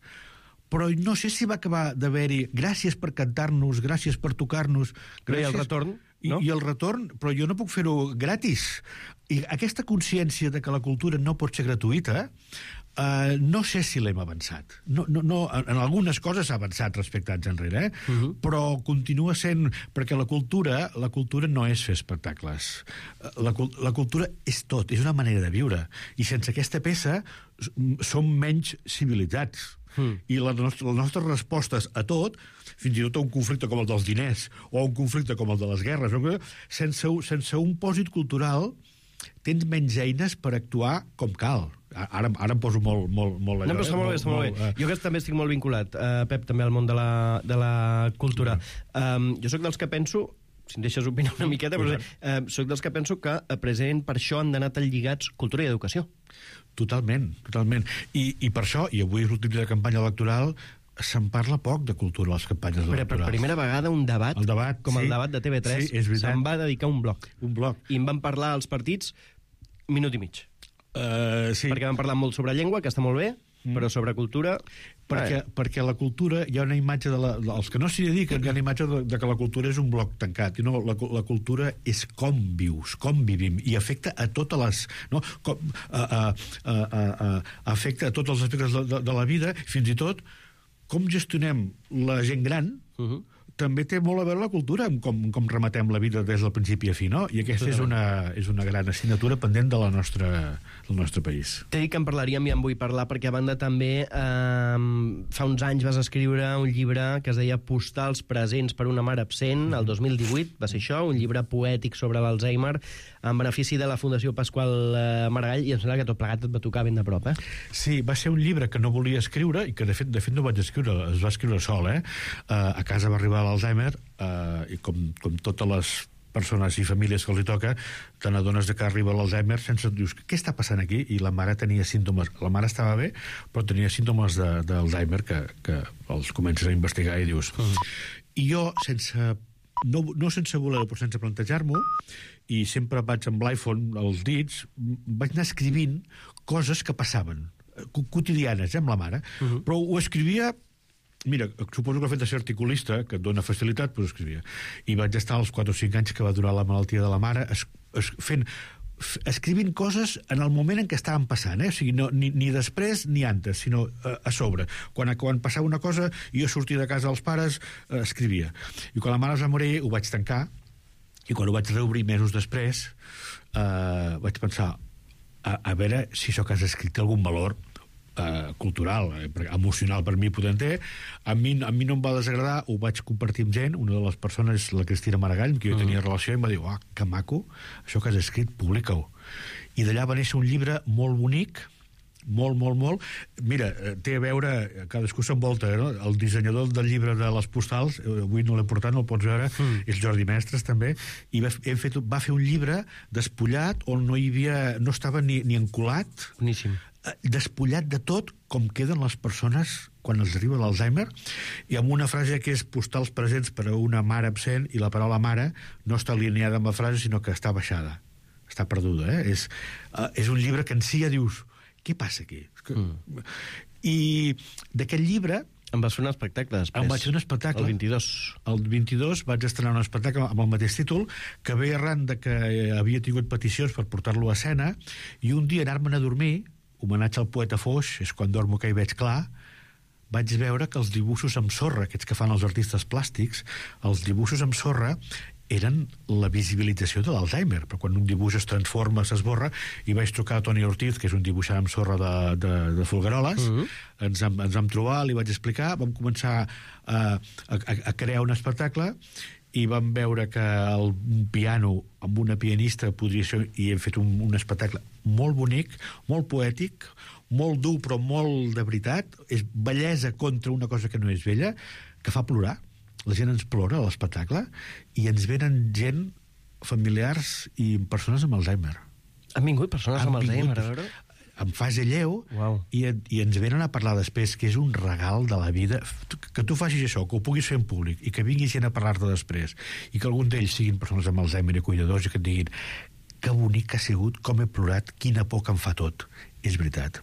Però no sé si va acabar d'haver-hi gràcies per cantar-nos, gràcies per tocar-nos... Gràcies... I el retorn, no? I, I el retorn, però jo no puc fer-ho gratis. I aquesta consciència de que la cultura no pot ser gratuïta, eh, no sé si l'hem avançat. No, no, no, en algunes coses s'ha avançat respecte a anys enrere, eh? Uh-huh. Però continua sent... Perquè la cultura, la cultura no és fer espectacles. La, la cultura és tot, és una manera de viure. I sense aquesta peça som menys civilitzats. Mm. I les nostres, les nostres respostes a tot, fins i tot a un conflicte com el dels diners o a un conflicte com el de les guerres, sense, sense un pòsit cultural tens menys eines per actuar com cal. Ara, ara em poso molt, molt, molt allò. No, però està eh? molt bé, està molt, molt bé. Uh... Jo que també estic molt vinculat, uh, Pep, també al món de la, de la cultura. Um, jo sóc dels que penso, si em deixes opinar una miqueta, però uh, sóc dels que penso que uh, present per això han d'anar tan lligats cultura i educació. Totalment, totalment. I, i per això, i avui és l'últim de campanya electoral, se'n parla poc de cultura a les campanyes però electorals. Per primera vegada un debat, el debat com sí, el debat de T V tres, sí, se'n va dedicar un bloc. Un bloc. I en van parlar als partits minut i mig. Uh, sí. Perquè van parlar molt sobre llengua, que està molt bé, mm. però sobre cultura... Perquè, perquè la cultura, hi ha una imatge de la, els que no s'hi dediquen, hi ha una imatge de, de que la cultura és un bloc tancat, i no, la, la cultura és com vius, com vivim, i afecta a totes les... No? Com, a, a, a, a, a, afecta a tots els aspectes de, de, de la vida, fins i tot com gestionem la gent gran, uh-huh. també té molt a veure la cultura, amb com, com rematem la vida des del principi a fi, no? I aquesta és una, és una gran assignatura pendent de la nostra, del nostre país. T'he dit que en parlaríem i en vull parlar, perquè a banda també eh, fa uns anys vas escriure un llibre que es deia Postals presents per una mare absent, el dos mil divuit, va ser això, un llibre poètic sobre l'Alzheimer, en benefici de la Fundació Pasqual eh, Maragall, i em sembla que tot plegat et va tocar ben de prop, eh? Sí, va ser un llibre que no volia escriure, i que de fet, de fet no vaig escriure, es va escriure sol, eh? Uh, a casa va arribar l'Alzheimer, uh, i com, com totes les persones i famílies que els hi toca, te n'adones de que arriba l'Alzheimer sense... Dius, què està passant aquí? I la mare tenia símptomes. La mare estava bé, però tenia símptomes d'Alzheimer que, que els comences a investigar i dius... Mm. I jo, sense... No, no sense voler, però sense plantejar-m'ho, i sempre vaig amb l'iPhone als dits, vaig anar escrivint coses que passaven, quotidianes, eh, amb la mare, uh -huh. però ho escrivia... Mira, suposo que el fet de ser articulista, que et dona facilitat, però escrivia. I vaig estar als quatre o cinc anys que va durar la malaltia de la mare es, es, fent, escrivint coses en el moment en què estaven passant, eh? O sigui, no, ni, ni després ni antes, sinó a, a sobre. Quan, quan passava una cosa, jo sortia de casa dels pares, eh, escrivia. I quan la mare es va morir, ho vaig tancar, i quan ho vaig reobrir mesos després, eh, vaig pensar, a, a veure si això que has escrit té algun valor Uh, cultural, eh, emocional per mi poder té. A mi, a mi no em va desagradar, ho vaig compartir amb gent, una de les persones, la Cristina Maragall, amb qui jo tenia uh -huh. relació, i em va dir, oh, que maco, això que has escrit, publica-ho. I d'allà va néixer un llibre molt bonic, molt, molt, molt. Mira, té a veure, cadascú s'envolta, no? El dissenyador del llibre de les postals, avui no l'he portat, no el pots veure, mm. és Jordi Mestres, també, i va, hem fet, va fer un llibre despullat on no hi havia, no estava ni, ni encolat, boníssim, despullat de tot com queden les persones quan els arriba l'Alzheimer, i amb una frase que és postals presents per a una mare absent, i la paraula mare no està alineada amb la frase, sinó que està baixada, està perduda, eh? És, uh, és un llibre que en si ja dius, què passa aquí? Mm. I d'aquest llibre... Em vas fer un espectacle després. Em vaig fer un espectacle. El vint-i-dos. El vint-i-dos vaig estrenar un espectacle amb el mateix títol, que ve arran de que havia tingut peticions per portar-lo a escena, i un dia anar-me'n a dormir, homenatge al poeta Foix, és quan dormo que hi veig clar, vaig veure que els dibuixos amb sorra, aquests que fan els artistes plàstics, els dibuixos amb sorra eren la visibilització de l'Alzheimer, però quan un dibuix es transforma, s'esborra, i vaig trucar a Toni Ortiz, que és un dibuixant amb sorra de, de, de Folgueroles, uh-huh. ens, ens vam trobar, li vaig explicar, vam començar a, a, a crear un espectacle, i vam veure que el piano amb una pianista podria ser, i hem fet un, un espectacle molt bonic, molt poètic, molt dur però molt de veritat, és bellesa contra una cosa que no és bella, que fa plorar. La gent ens plora a l'espectacle, i ens venen gent, familiars i persones amb Alzheimer. Han vingut persones Han amb Alzheimer, a veure? En fase lleu, wow. i, i ens venen a parlar després, que és un regal de la vida, que tu facis això, que ho puguis fer en públic, i que vingui gent a parlar-te després, i que algun d'ells siguin persones amb Alzheimer i cuidadors, i que et diguin, que bonic que ha sigut, com he plorat, quina por que em fa tot. És veritat.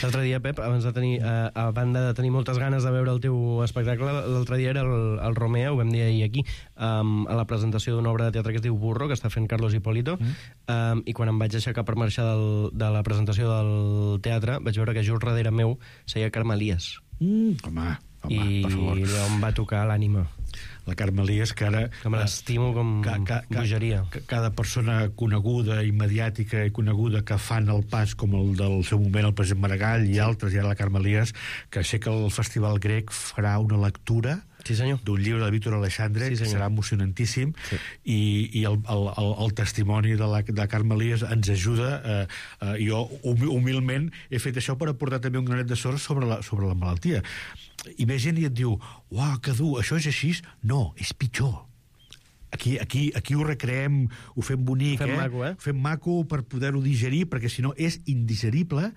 L'altre dia, Pep, abans de tenir, a, a banda de tenir moltes ganes de veure el teu espectacle, l'altre dia era el, el Romea, ho vam dir ahir aquí, um, a la presentació d'una obra de teatre que es diu Burro, que està fent Carlos Hipólito, mm. um, i quan em vaig aixecar per marxar del, de la presentació del teatre, vaig veure que just darrere meu seia Carme Elias. Mm, home, home, I per favor. I em va tocar l'ànima. La Carme Elias, que ara... Que me l'estimo com ca, ca, bogeria. Ca, cada persona coneguda i mediàtica i coneguda que fan el pas, com el del seu moment el president Maragall i altres, i ara la Carme Elias, que sé que el Festival Grec farà una lectura sí, d'un llibre de Víctor Alexandre, sí, que serà emocionantíssim, sí. i, i el, el, el, el testimoni de la de Carme Elias ens ajuda. Eh, eh, jo humilment he fet això per aportar també un granet de sorra sobre la, sobre la malaltia. I ve gent i et diu, uau, que dur, això és així? No, és pitjor. Aquí, aquí, aquí ho recreem, ho fem bonic, fem eh? maco, eh? Ho fem maco per poder-ho digerir, perquè si no és indigerible,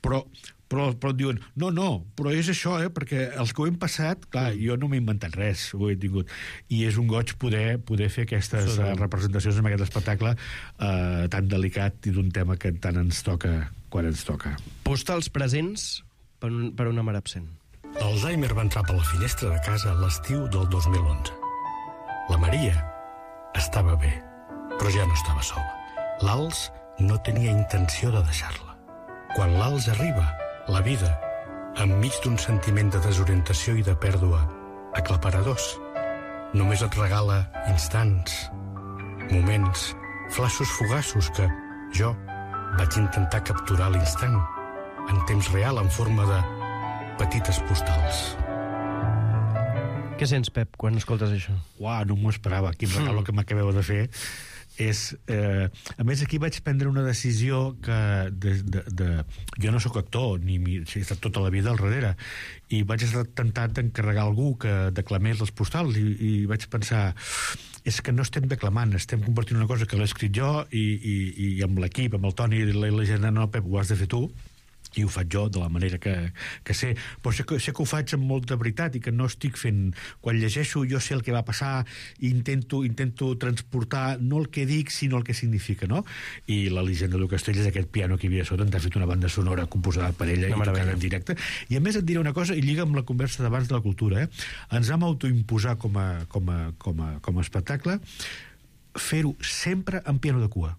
però, però, però et diuen, no, no, però és això, eh? Perquè els que ho hem passat, clar, jo no m'he inventat res, ho he tingut, i és un goig poder, poder fer aquestes uh, representacions en aquest espectacle uh, tan delicat i d'un tema que tant ens toca quan ens toca. Postals presents per, un, per una mare absent. L'Alzheimer va entrar per la finestra de casa l'estiu del dos mil onze. La Maria estava bé, però ja no estava sola. L'Als no tenia intenció de deixar-la. Quan l'Als arriba, la vida, enmig d'un sentiment de desorientació i de pèrdua aclaparadors, només et regala instants, moments, flaixos fugaços que jo vaig intentar capturar a l'instant, en temps real, en forma de petites postals. Què sents, Pep, quan escoltes això? Uau, no m'ho esperava. Quin regal mm. que m'acabeu de fer. És, eh, a més, aquí vaig prendre una decisió que de, de, de, jo no sóc actor, ni he estat tota la vida al darrere, i vaig estar tentat d'encarregar algú que declamés les postals, i, i vaig pensar, és que no estem declamant, estem compartint una cosa que l'he escrit jo, i, i, i amb l'equip, amb el Toni i la, la gent, no, Pep, ho has de fer tu, i ho faig jo de la manera que, que sé, però sé que, sé que ho faig amb molta veritat i que no estic fent... Quan llegeixo jo sé el que va passar i intento, intento transportar no el que dic, sinó el que significa, no? I la Elisenda del Castell és aquest piano que hi havia sota, ens ha fet una banda sonora composada per ella i tocada en directe. I a més et diré una cosa, i lliga amb la conversa d'abans de la cultura, eh? Ens vam autoimposar com a, com a, com a, com a espectacle fer-ho sempre en piano de cua.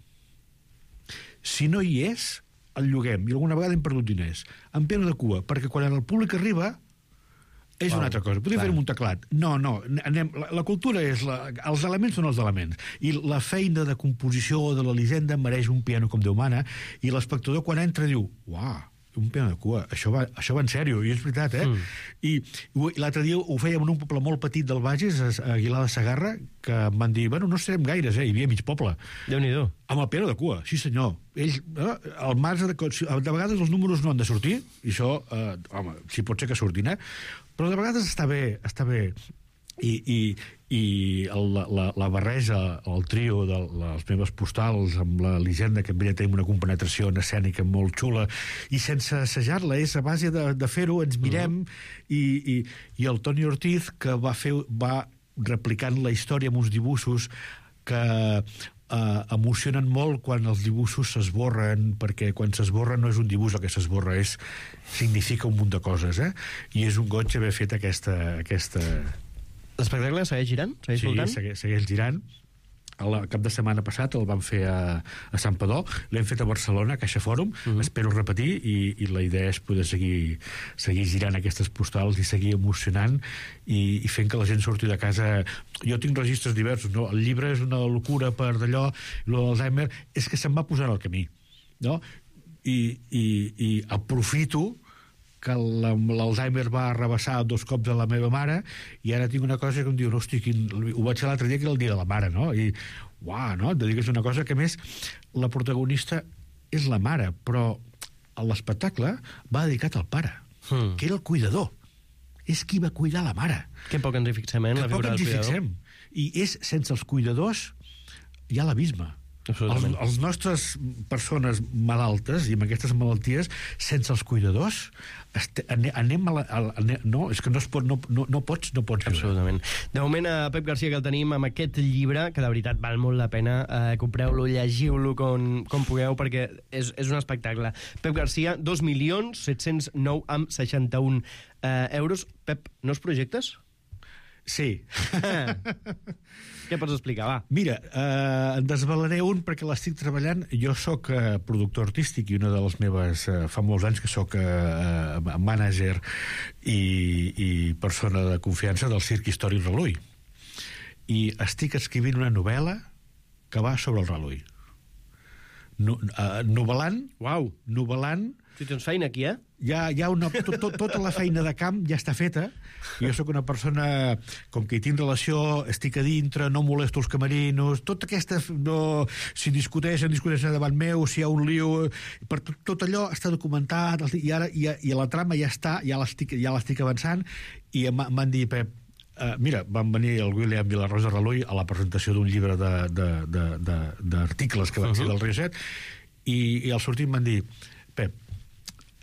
Si no hi és, el lloguem, i alguna vegada hem perdut diners, en piano de cua, perquè quan el públic arriba és wow, una altra cosa. Podríem fer-ho amb un teclat. No, no, anem, la, la cultura és... La, els elements són els elements. I la feina de composició de l'Elisenda mereix un piano com Déu mana, i l'espectador quan entra diu, uau, un piano de cua, això va, això va en sèrio, i és veritat, eh? Mm. I, i l'altre dia ho fèiem en un poble molt petit del Bages, a Aguilar de Segarra, que em van dir, bueno, no serem gaires, eh? Hi havia mig poble. Déu-n'hi-do. Amb el piano de cua, sí senyor. Ells, eh, el marge de... De vegades els números no han de sortir, i això, eh, home, si pot ser que surtin, eh? Però de vegades està bé, està bé. I, i, i el, la, la barreja, el trio de les meves postals amb la Elisenda, que amb ella tenim una compenetració en escènica molt xula, i sense assajar-la, és a base de, de fer-ho, ens mirem, uh-huh. i, i, i el Toni Ortiz, que va, fer, va replicant la història amb uns dibuixos que eh, emocionen molt quan els dibuixos s'esborren, perquè quan s'esborra no és un dibuix el que s'esborra, és, significa un munt de coses, eh? I és un goig haver fet aquesta... aquesta... L'espectacle segueix girant? Segueix sí, voltant? segueix, segueix girant. El cap de setmana passat el vam fer a, a Sant Padó, l'hem fet a Barcelona, a Caixa Fòrum, uh-huh. Espero repetir, i, i la idea és poder seguir, seguir girant aquestes postals i seguir emocionant i, i fent que la gent surti de casa. Jo tinc registres diversos, no? El llibre és una locura per d'allò, i l'Alzheimer és que se'm va posar al camí, no? I, i, i aprofito que l'Alzheimer va arrabassar dos cops a la meva mare, i ara tinc una cosa que em diu, hosti, quin... ho vaig fer l'altre dia, que era el dia de la mare, no? I, uau, no? Et dic que és una cosa que, a més, la protagonista és la mare, però l'espectacle va dedicat al pare, hmm. que era el cuidador. És qui va cuidar la mare. Que poc ens hi fixem, eh? Que poc ens hi fixem. I és, sense els cuidadors, hi ha l'abisme. Els, els nostres persones malaltes i amb aquestes malalties, sense els cuidadors este, anem a la, a la, no, és que no, es pot, no, no, no pots no pots absolutament. De moment a Pep Garcia, que el tenim amb aquest llibre, que de veritat val molt la pena, eh, compreu-lo, llegiu-lo com, com pugueu, perquè és, és un espectacle. Pep Garcia, dos milions set-cents nou amb seixanta-un eh, euros. Pep, nous projectes? Sí. Què pots explicar, va? Mira, eh, en desvelaré un perquè l'estic treballant. Jo sóc eh, productor artístic i una de les meves... Eh, fa molts anys que sóc eh, mànager i, i persona de confiança del Circ Històric Relull. I estic escrivint una novel·la que va sobre el Relull. No, uh, novel·lant... Uau! Novel·lant... Si tens feina aquí, eh? Ja, ja una, to, to, tota la feina de camp ja està feta. Jo sóc una persona, com que hi tinc relació, estic a dintre, no molesto els camerinos, tota aquesta... No, si discuteixen, discuteixen davant meu, si hi ha un lío... Per tot, tot allò està documentat, i ara i, i la trama ja està, ja l'estic ja l'estic avançant, i m'han dit, Pep, Uh, mira, van venir el William i la Rosa Relull a la presentació d'un llibre d'articles que van ser del Rioset, i, i al sortir em van dir, Pep,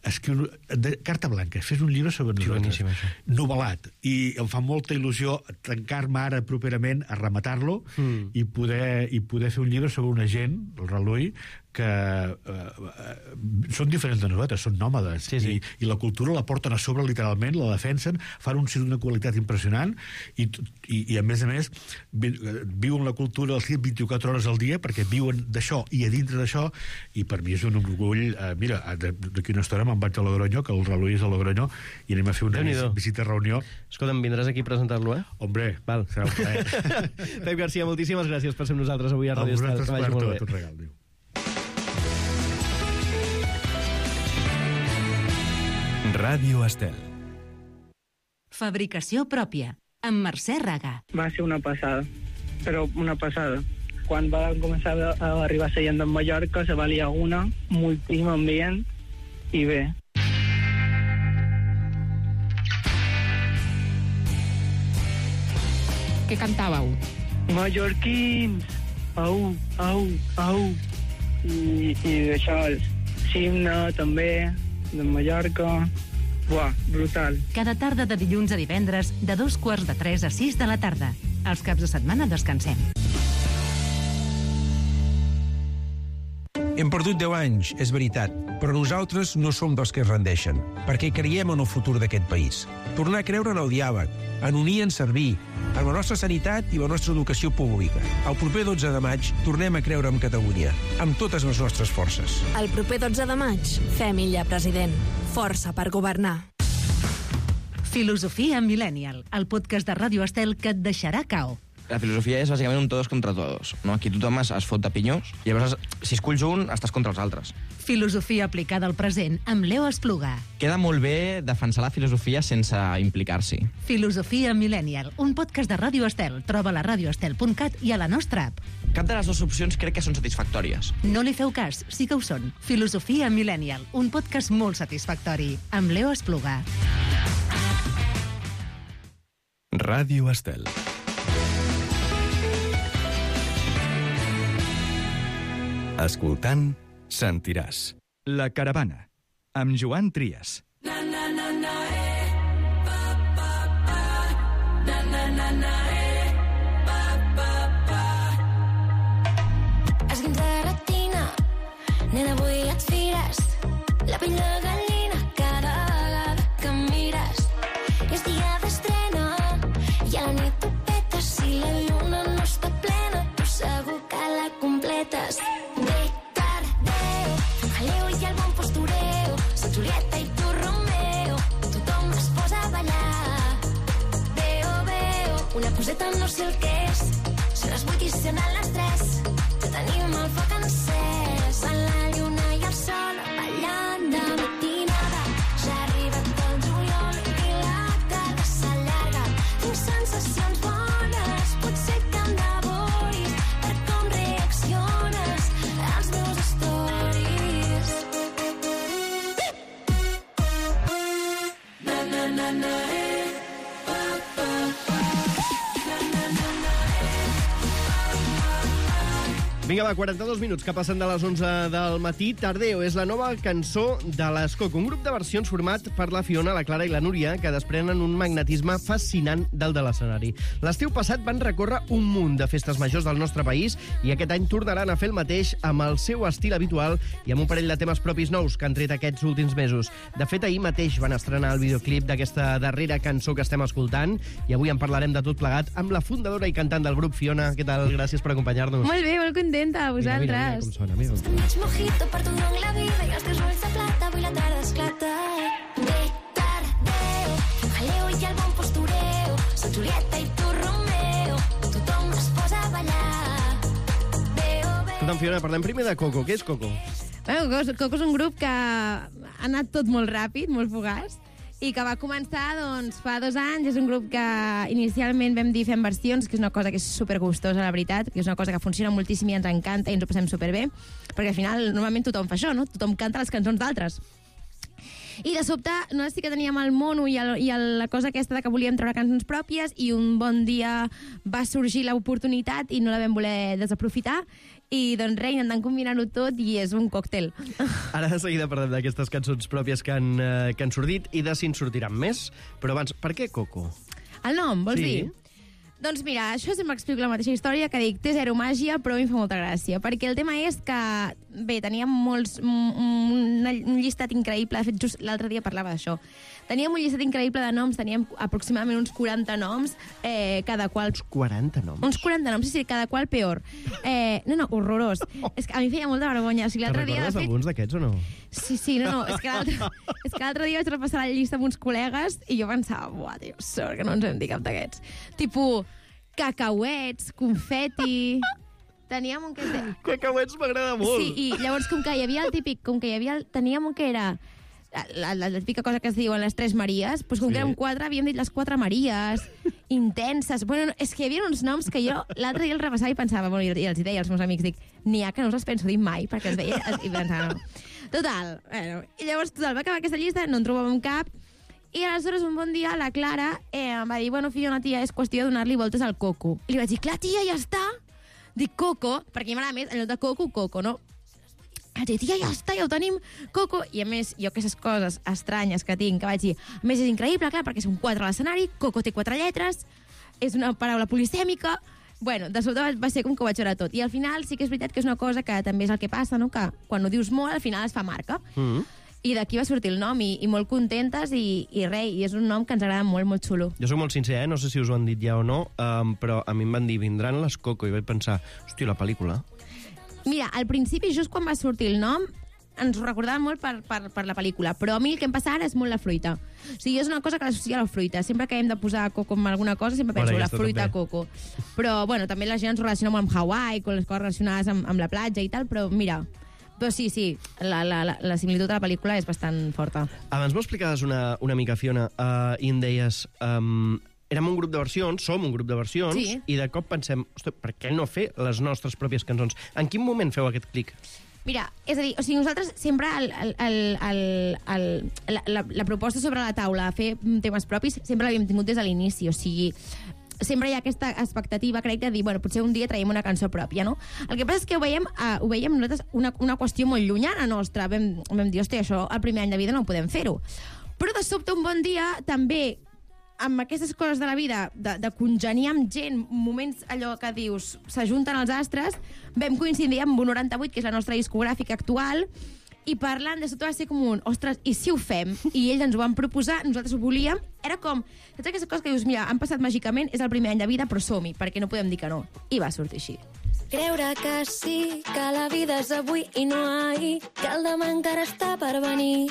escriu de, carta blanca, fes un llibre sobre nosaltres, novel·lat, i em fa molta il·lusió tancar-me ara properament a rematar-lo mm. i, poder, i poder fer un llibre sobre una gent, el Relull, que eh, són diferents de nosaltres, són nòmades, sí, sí. I, i la cultura la porten a sobre literalment, la defensen, fan un circ d'una qualitat impressionant i, i, i a més a més vi, viuen la cultura del circ vint-i-quatre hores al dia perquè viuen d'això i a dintre d'això, i per mi és un orgull. Eh, mira, d'aquí una estona me'n vaig a Logronyo, que el Reloi és a Logronyo, i anem a fer una vis, visita reunió. Escolta'm, vindràs aquí a presentar-lo, eh? Hombre, val. Serà un plaer. Pep Garcia, moltíssimes gràcies per ser amb nosaltres avui a Ràdio Estel. Que vagi molt bé. Un regal, diu. Ràdio Estel. Fabricació pròpia, amb Mercè Raga. Va ser una passada, però una passada. Quan va començar a arribar a Sallent de Mallorca, se va liar una, moltíssim ambient, i bé. Què cantàveu? Mallorquins, au, au, au. I, i això, Simna, també, de Mallorca. Buah, brutal. Cada tarda de dilluns a divendres, de dos quarts de tres a sis de la tarda. Els caps de setmana descansem. Hem perdut deu anys, és veritat, però nosaltres no som dels que es rendeixen, perquè creiem en el futur d'aquest país. Tornar a creure en el diàleg, en unir i en servir, en la nostra sanitat i la nostra educació pública. El proper dotze de maig tornem a creure en Catalunya, amb totes les nostres forces. El proper dotze de maig, fem Illa president. Força per governar. Filosofia Millennial, el podcast de Ràdio Estel que et deixarà cao. La filosofia és bàsicament un todos contra todos, no? Aquí tothom es, es fot de pinyós, i llavors, si esculls un, estàs contra els altres. Filosofia aplicada al present, amb Leo Espluga. Queda molt bé defensar la filosofia sense implicar-s'hi. Filosofia Millennial, un podcast de Ràdio Estel. Troba a radio estel punt cat i a la nostra app. Cap de les dues opcions crec que són satisfactòries. No li feu cas, sí que ho són. Filosofia Millennial, un podcast molt satisfactori, amb Leo Espluga. Ràdio Estel. Escoltant, sentiràs. La Caravana, amb Joan Trias. Na, na, na, na, eh. Pa, pa, pa. Na, na, na, na, eh. Pa, pa, pa. Esguins de retina, nena, avui et fires. La pell de gallina cada vegada que em mires. És dia d'estrena i a la nit ho petes. Si la lluna no està plena, tu segur que la completes. Julieta i tu Romeo, tothom es posa a ballar. Veo, veo, una coseta no sé el que és. Són les vuit i sonen les tres, que tenim el foc encès. En la lluna i el sol ballant de matinada. Ja ha arribat el juliol i la tarda s'allarga. Tinc sensacions bones, potser que em devoris per com reacciones als meus stories. Na, na, eh. Pa, pa, pa. Na, na, na, na, eh. Pa, pa, pa. Vinga, va, quaranta-dos minuts que passen de les onze del matí. Tardeo és la nova cançó de l'Escoc, un grup de versions format per la Fiona, la Clara i la Núria, que desprenen un magnetisme fascinant del de l'escenari. L'estiu passat van recórrer un munt de festes majors del nostre país i aquest any tornaran a fer el mateix amb el seu estil habitual i amb un parell de temes propis nous que han tret aquests últims mesos. De fet, ahir mateix van estrenar el videoclip d'aquesta darrera cançó que estem escoltant i avui en parlarem de tot plegat amb la fundadora i cantant del grup, Fiona. Què tal? Gràcies per acompanyar-nos. Molt bé, molt contenta, a vosaltres. Mira, mira, mira com sona, mira. Maig mojito per tu en la vida i els teus ulls de plata, avui la tarda esclata. De tardeo, jaleo i el bon postureo, soc Julieta i tu Romeo, tothom es posa a ballar. Veo, veo... Escolta'm, Fiona, parlem primer de Coco. Què és Coco? Bueno, Coco, Coco és un grup que ha anat tot molt ràpid, molt fugaç, i que va començar doncs, fa dos anys. És un grup que inicialment vam dir fem versions, que és una cosa que és supergustosa, la veritat, que és una cosa que funciona moltíssim i ens encanta i ens ho passem superbé, perquè al final normalment tothom fa això, no? Tothom canta les cançons d'altres. I de sobte, nosaltres sí que teníem el mono i, el, i el, la cosa aquesta de que volíem treure cançons pròpies i un bon dia va sorgir l'oportunitat i no la vam voler desaprofitar i doncs res, intentant combinar-ho tot i és un còctel. Ara de seguida parlem d'aquestes cançons pròpies que han, eh, que han sortit i de si en sortiran més, però abans, per què Coco? El nom, vols sí. dir? Doncs mira, això sempre explico la mateixa història que dic, té zero màgia, però a mi em fa molta gràcia, perquè el tema és que, bé, teníem molts, un, un llistat increïble, de fet, just l'altre dia parlava d'això, teníem un llistat increïble de noms, teníem aproximadament uns quaranta noms, eh, cada qual... Uns quaranta noms? Uns quaranta noms, sí, sí, cada qual peor. Eh, no, no, horrorós. És que a mi feia molta vergonya. O sigui, Te'n l'altre dia, de recordes fet... alguns d'aquests o no? Sí, sí, no, no, és que l'altre és que l'altre dia vaig repassar la llista amb uns col·legues i jo pensava, buah, tio, sort que no ens hem dit cap d'aquests. Tipo, cacauets, confeti... Teníem un que... Cacauets m'agrada molt. Sí, i llavors, com que hi havia el típic... Com que hi havia el, teníem un que era... La, la, la típica cosa que es diuen les tres Maries, doncs com sí. que érem quatre, havíem dit les quatre Maries, intenses... Bueno, és que hi havia uns noms que jo l'altre dia el repassava i pensava, bueno, i els deia als meus amics, dic, n'hi ha que no us els penso dir mai, perquè els veia i pensava, no. Total, bueno, i llavors total, va acabar aquesta llista, no en trobàvem cap, i aleshores un bon dia la Clara eh, em va dir, bueno, Fiona, tia, és qüestió de donar-li voltes al coco. I li vaig dir, clar, tia, ja està. Dic coco, perquè m'agrada més, en lloc de coco, coco, no? Vaig dir, tia, ja està, ja ho tenim, coco. I a més, jo aquestes coses estranyes que tinc, que vaig dir, a més és increïble, clar, perquè són quatre a l'escenari, coco té quatre lletres, és una paraula polisèmica. Bueno, de sobte va ser com que ho vaig veure tot. I al final sí que és veritat que és una cosa que també és el que passa, no? Que quan ho dius molt, al final es fa marca. Mm-hmm. I d'aquí va sortir el nom, i, i molt contentes, i, i res, i és un nom que ens agrada molt, molt xulo. Jo soc molt sincer, eh? No sé si us ho han dit ja o no, um, però a mi em van dir, vindran les Coco, i vaig pensar, hòstia, la pel·lícula... Mira, al principi, just quan va sortir el nom, ens ho recordàvem molt per, per, per la pel·lícula, però a mi el que em passa ara és molt la fruita. O sigui, és una cosa que l'associa a la fruita. Sempre que hem de posar coco en alguna cosa, sempre penso bueno, la fruita també. Coco. Però, bueno, també la gent ens relaciona molt amb Hawaii, amb les coses relacionades amb, amb la platja i tal, però mira... Però sí, sí, la, la, la, la similitud de la pel·lícula és bastant forta. Abans m'ho explicaves una, una mica, Fiona, uh, i em deies... Um, érem un grup de versions, som un grup de versions, sí. I de cop pensem, ostres, per què no fer les nostres pròpies cançons? En quin moment feu aquest clic? Mira, és a dir, o sigui, nosaltres sempre el, el, el, el, el, la, la, la proposta sobre la taula a fer temes propis sempre l'havíem tingut des de l'inici, o sigui... Sempre hi ha aquesta expectativa, crec, de dir, bueno, potser un dia traiem una cançó pròpia, no? El que passa és que ho veiem, uh, ho veiem nosaltres una, una qüestió molt llunyana nostra. Vam, vam dir, hòstia, això al primer any de vida no podem fer-ho. Però de sobte, un bon dia, també, amb aquestes coses de la vida, de, de congeniar amb gent, moments allò que dius, s'ajunten els astres, vam coincidir amb un noranta-vuit, que és la nostra discogràfica actual, i parlant de tot va ser com un, ostres, i si ho fem? I ells ens ho van proposar, nosaltres ho volíem, era com, saps aquesta cosa que dius, mira, han passat màgicament, és el primer any de vida, però som-hi, perquè no podem dir que no. I va sortir així. Creure que sí, que la vida és avui i no ahir, que el demà encara està per venir.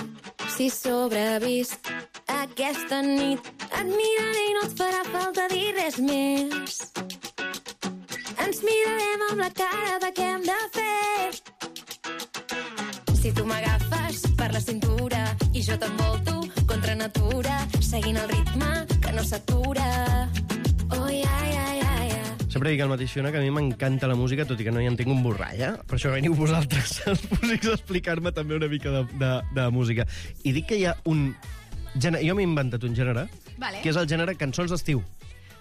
Si sobrevist aquesta nit, et miraré i no et farà falta dir res més. Ens mirarem amb la cara de què hem de fer. Si tu m'agafes per la cintura i jo t'envolto contra natura, seguint el ritme que no s'atura. Oh, ja, ja, ja, ja. Sempre dic al mateix, Fiona, que a mi m'encanta la música, tot i que no hi entenc un borrall, eh? Per això veniu vosaltres, els músics, a explicar-me també una mica de, de, de música. I dic que hi ha un gènere... Jo m'he inventat un gènere, vale. Que és el gènere cançons d'estiu.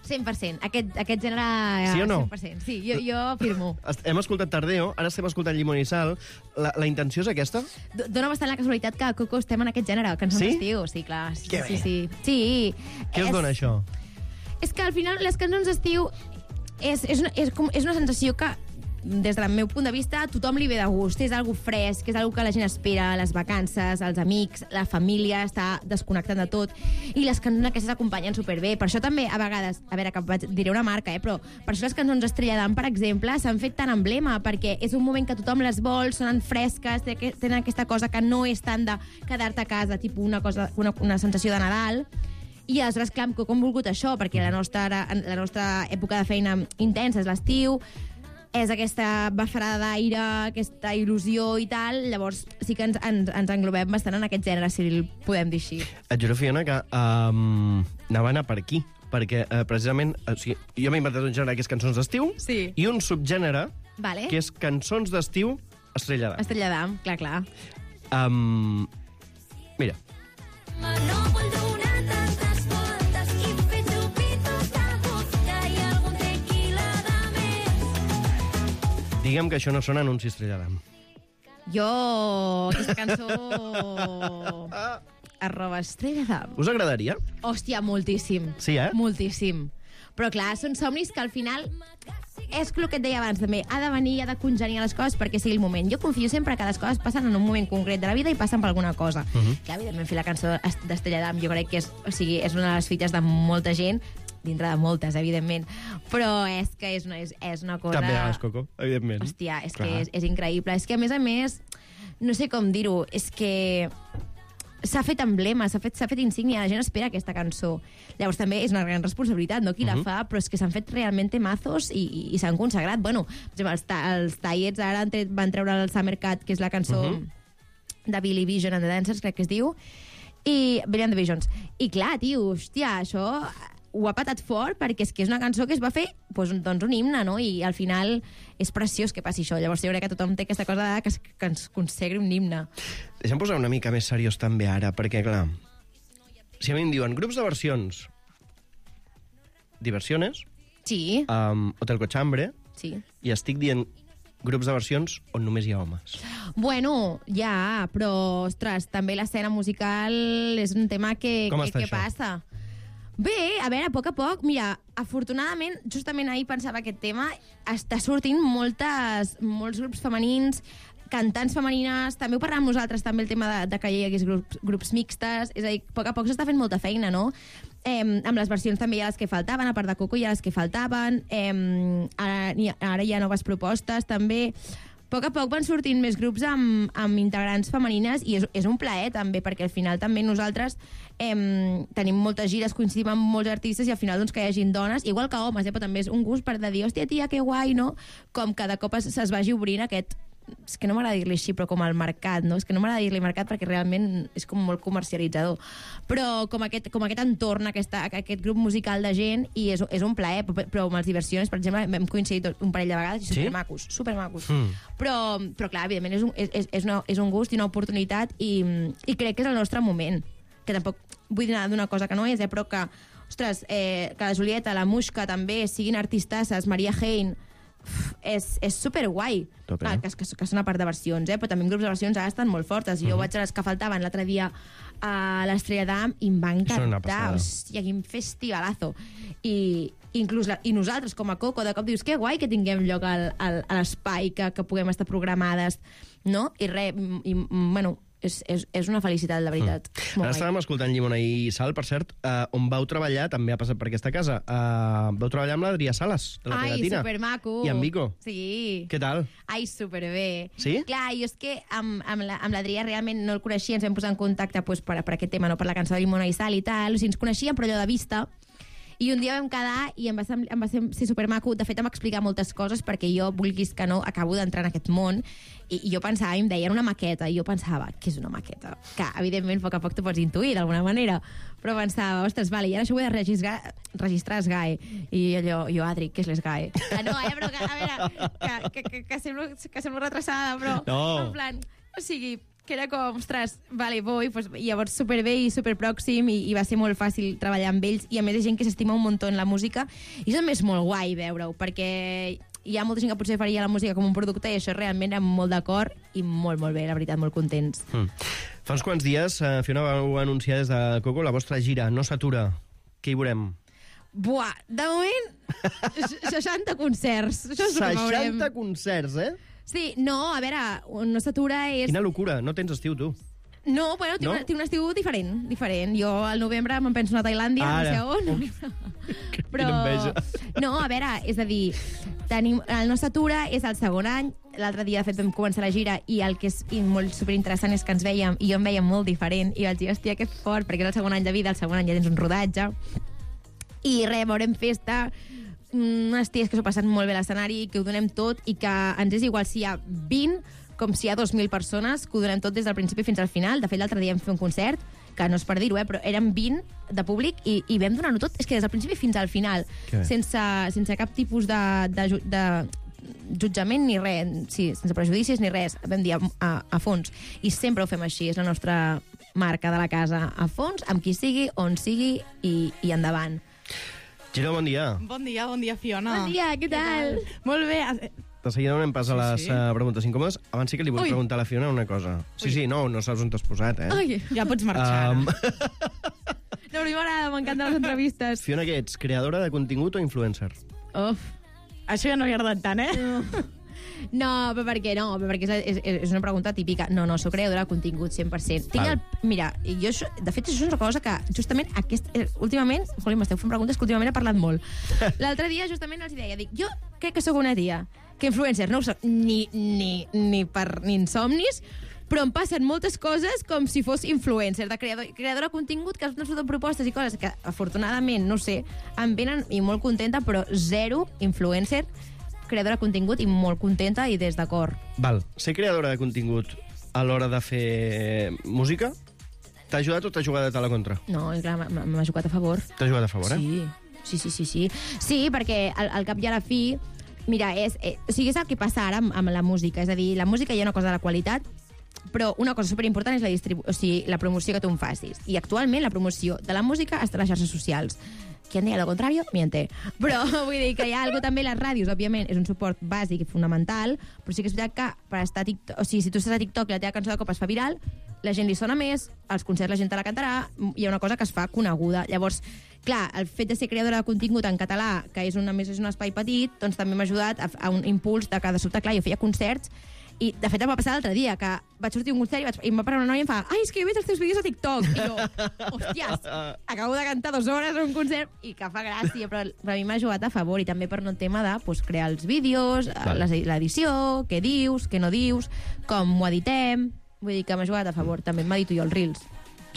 cent per cent. Aquest, aquest gènere... Sí o no? cent per cent. Sí, jo, jo afirmo. Hem escoltat Tardeo, ara estem escoltant Llimón i Sal. La, la intenció és aquesta? D Dóna bastant la casualitat que a Coco estem en aquest gènere, cançons sí? d'estiu. Sí, clar. Sí, que sí, bé. sí. sí. Què és, us dona això? És que al final les cançons d'estiu és, és, una, és, com, és una sensació que des del meu punt de vista, a tothom li ve de gust. És algo fresc, és algo que la gent espera, les vacances, els amics, la família, està desconnectant de tot. I les cançons aquestes acompanyen superbé. Per això també, a vegades, a veure, que diré una marca, eh, però per això les cançons Estrella d'Am, per exemple, s'han fet tan emblema, perquè és un moment que tothom les vol, sonen fresques, tenen aquesta cosa que no és tant de quedar-te a casa, tipus una, cosa, una, una sensació de Nadal. I aleshores, clar, com hem volgut això, perquè la nostra, la nostra època de feina intensa és l'estiu, és aquesta bafarada d'aire, aquesta il·lusió i tal, llavors sí que ens, ens, ens englobem bastant en aquest gènere, si el podem dir així. Et juro, Fiona, que um, anava a anar per aquí, perquè uh, precisament, o sigui, jo m'he inventat un gènere que és cançons d'estiu, sí. I un subgènere vale. Que és cançons d'estiu Estrella d'Am. Estrella d'Am, clar, clar. Um, mira. No vull donar tantes voltes i fer xupitos de vodka i algun tequila de més. Digue'm que això no sona anunci Estrella d'Am. Jo, aquesta cançó... arroba Estrella d'Am. Us agradaria? Hòstia, moltíssim. Sí, eh? Moltíssim. Però clar, són somnis que al final és el que et deia abans també, ha de venir, ha de congeniar les coses perquè sigui el moment. Jo confio sempre que les coses passen en un moment concret de la vida i passen per alguna cosa. Uh -huh. Que evidentment fer la cançó d'Estrella d'Am jo crec que és, o sigui, és una de les fites de molta gent, dintre de moltes, evidentment, però és que és una, és, és una cosa... També a les Coco, evidentment. Hòstia, és Clar. que és, és increïble. És que, a més a més, no sé com dir-ho, és que s'ha fet emblema, s'ha fet, s'ha fet insígnia, la gent espera aquesta cançó. Llavors també és una gran responsabilitat, no?, qui uh -huh. la fa, però és que s'han fet realment temazos i, i, i s'han consagrat. Bueno, per exemple, els, ta els Tallets ara han tret, van treure el Summer Cat, que és la cançó uh -huh. de Billy Vision and the Dancers, crec que es diu, i Brilliant Visions. I clar, tio, hòstia, això ho ha patat fort perquè és que és una cançó que es va fer doncs, doncs un himne, no? I al final és preciós que passi això. Llavors jo crec que tothom té aquesta cosa de que, es, que ens consagri un himne. Deixa'm posar una mica més seriós també ara, perquè clar, si a mi em diuen grups de versions, Diversiones, sí. um, Hotel Cochambre, sí. i estic dient grups de versions on només hi ha homes. Bueno, ja, però, ostres, també l'escena musical és un tema que, Com que, està que això? passa. Bé, a veure, a poc a poc, mira, afortunadament, justament ahir pensava aquest tema, està sortint moltes, molts grups femenins, cantants femenines, també ho parlàvem nosaltres, també el tema de, de que hi hagués grups, grups mixtes, és a dir, a poc a poc s'està fent molta feina, no? Eh, amb les versions també hi ha les que faltaven, a part de Coco hi ha les que faltaven, eh, ara, ara hi ha noves propostes també. A poc a poc van sortint més grups amb, amb integrants femenines i és, és un plaer també, perquè al final també nosaltres eh, tenim moltes gires, coincidim amb molts artistes i al final doncs, que hi hagin dones, igual que homes, eh, però també és un gust per de dir, hòstia, tia, que guai, no? Com cada cop es, es vagi obrint aquest... És que no m'agrada dir-li així, però com el mercat, no? És que no m'agrada dir-li mercat perquè realment és com molt comercialitzador. Però com aquest, com aquest entorn, aquesta, aquest grup musical de gent, i és, és un plaer, però amb les Diversiones, per exemple, hem coincidit un parell de vegades i Sí? supermacos, supermacos. Mm. Però, però clar, evidentment és un, és, és, una, és un gust i una oportunitat i, i crec que és el nostre moment. Que tampoc vull dir nada d'una cosa que no és, eh, però que, ostres, eh, que la Julieta, la Muixca també, siguin artistasses, Maria Hein, és, és superguai. Tope, Clar, eh? que, que, que són a part de versions, eh? Però també en grups de versions ara estan molt fortes. Jo Mhm. vaig a les que faltaven l'altre dia a l'Estrella d'Am i em va Són una encantar. passada. Hòstia, quin festivalazo. I, inclús la, i nosaltres, com a Coco, de cop dius, que guai que tinguem lloc al, al, a l'espai, que, que puguem estar programades, no? I res, i, i, bueno, és, és, és una felicitat, la veritat. Mm. Molt Ara guai. estàvem escoltant Llimona i Sal, per cert, uh, on vau treballar, també ha passat per aquesta casa, uh, vau treballar amb l'Adrià Sales, de la Ai, Pegatina. supermaco. I amb Vico. Sí. Què tal? Ai, superbé. Sí? Clar, jo és que amb, amb la- amb l'Adrià realment no el coneixia, ens vam posar en contacte pues, per, per aquest tema, no per la cançó de Llimona i Sal i tal, o sigui, ens coneixíem, però allò de vista, i un dia vam quedar i em va, sem em va ser, ser supermaco. De fet, em va explicar moltes coses perquè jo, vulguis que no, acabo d'entrar en aquest món i, i jo pensava, i em deien una maqueta, i jo pensava, què és una maqueta? Que, evidentment, a poc a poc t'ho pots intuir d'alguna manera, però pensava, ostres, vale, i ara això ho he de registrar, registrar S G A E. I allò, jo, Adri, què és l'S G A E? Que no, eh, però que, a veure, que, que, que, que, semblo, que semblo retrasada, però No. en plan, o sigui, que era com, ostres, vale, vull, pues, i llavors superbé i superpròxim i, i va ser molt fàcil treballar amb ells i a més hi ha gent que s'estima un muntó en la música i això també és molt guai veure-ho perquè hi ha molta gent que potser faria la música com un producte i això realment era molt d'acord i molt, molt bé, la veritat, molt contents. Mm. Fa uns quants dies, uh, Fiona, vau anunciar des de Coco la vostra gira, no s'atura. Què hi veurem? Buah, de moment, seixanta concerts. Això és el que veurem. seixanta concerts, eh? Sí, no, a veure, no s'atura és... Quina locura, no tens estiu, tu. No, bueno, tinc, No? Una, tinc un estiu diferent, diferent. Jo al novembre me'n penso anar a Tailàndia, Ara. no sé on. Però, Quina enveja. no, a veure, és a dir, tenim, el nostre atura és el segon any, l'altre dia, de fet, vam començar la gira i el que és i molt superinteressant és que ens veiem, i jo em veia molt diferent, i vaig dir, hòstia, que fort, perquè és el segon any de vida, el segon any ja tens un rodatge, i res, veurem festa, unes ties que s'ho passen molt bé a l'escenari, que ho donem tot i que ens és igual si hi ha vint com si hi ha dos mil persones, que ho donem tot des del principi fins al final. De fet, l'altre dia vam fer un concert, que no és per dir-ho, eh, però eren vint de públic i, i vam donar-ho tot, és que des del principi fins al final, Que bé. sense, sense cap tipus de, de, ju- de jutjament ni res, sí, sense prejudicis ni res, vam dir a, a, a fons. I sempre ho fem així, és la nostra marca de la casa, a fons, amb qui sigui, on sigui i, i endavant. Gina, bon dia. Bon dia, bon dia, Fiona. Bon dia, què tal? Molt bé. De seguida anem pas a les Sí, sí, sí. Uh, preguntes incòmodes. Abans sí que li vull Ui. preguntar a la Fiona una cosa. Sí, sí, no, no saps on t'has posat, eh? Ai, ja pots marxar. Um, No, a mi m'agrada, m'encanten les entrevistes. Fiona, què ets? Creadora de contingut o influencer? Uf, això ja no li ha agradat tant, eh? No, però per què no? Però perquè és, és, és una pregunta típica. No, no, soc creadora de contingut, cent per cent. Tinc el, mira, jo, això- de fet, això és una cosa que justament aquest, eh, últimament... Joli, m'esteu fent preguntes que últimament he parlat molt. L'altre dia justament els deia, dic, jo crec que sóc una tia que influencer no ho soc ni, ni, ni per ni en somnis, però em passen moltes coses com si fos influencer, de creador, creadora de contingut, que has fet propostes i coses que, afortunadament, no sé, em venen i molt contenta, però zero influencer, creadora de contingut i molt contenta i des d'acord. Val, ser creadora de contingut a l'hora de fer música t'ha ajudat o t'ha jugat a la contra? No, i clar, m'ha m'ha jugat a favor. T'ha jugat a favor, eh? Sí, sí, sí, sí. Sí, sí perquè al, al cap i a la fi, mira, és, eh, o sigui, és el que passa ara amb, amb la música. És a dir, la música hi ha una cosa de la qualitat, però una cosa superimportant és la, distribu o sigui, la promoció que tu em facis. I actualment la promoció de la música està a les xarxes socials. Qui en diga lo contrario, miente. Però vull dir que hi ha algo també, les ràdios, òbviament, és un suport bàsic i fonamental, però sí que és veritat que per estar a TikTok, o sigui, si tu estàs a TikTok i la teva cançó de cop es fa viral, la gent li sona més, als concerts la gent te la cantarà, hi ha una cosa que es fa coneguda. Llavors, clar, el fet de ser creadora de contingut en català, que és, una, més és un espai petit, doncs també m'ha ajudat a, a un impuls de que de sobte, clar, jo feia concerts i, de fet, em va passar l'altre dia, que vaig sortir a un concert i, vaig, i em va parar una noia i em fa ai, és que jo veig els teus vídeos a TikTok. I jo, hòsties, acabo de cantar dues hores en un concert i que fa gràcia, però, però a mi m'ha jugat a favor i també per un tema de pues, crear els vídeos, l'edició, què dius, què no dius, com ho editem. Vull dir que m'ha jugat a favor. També m'edito jo els reels.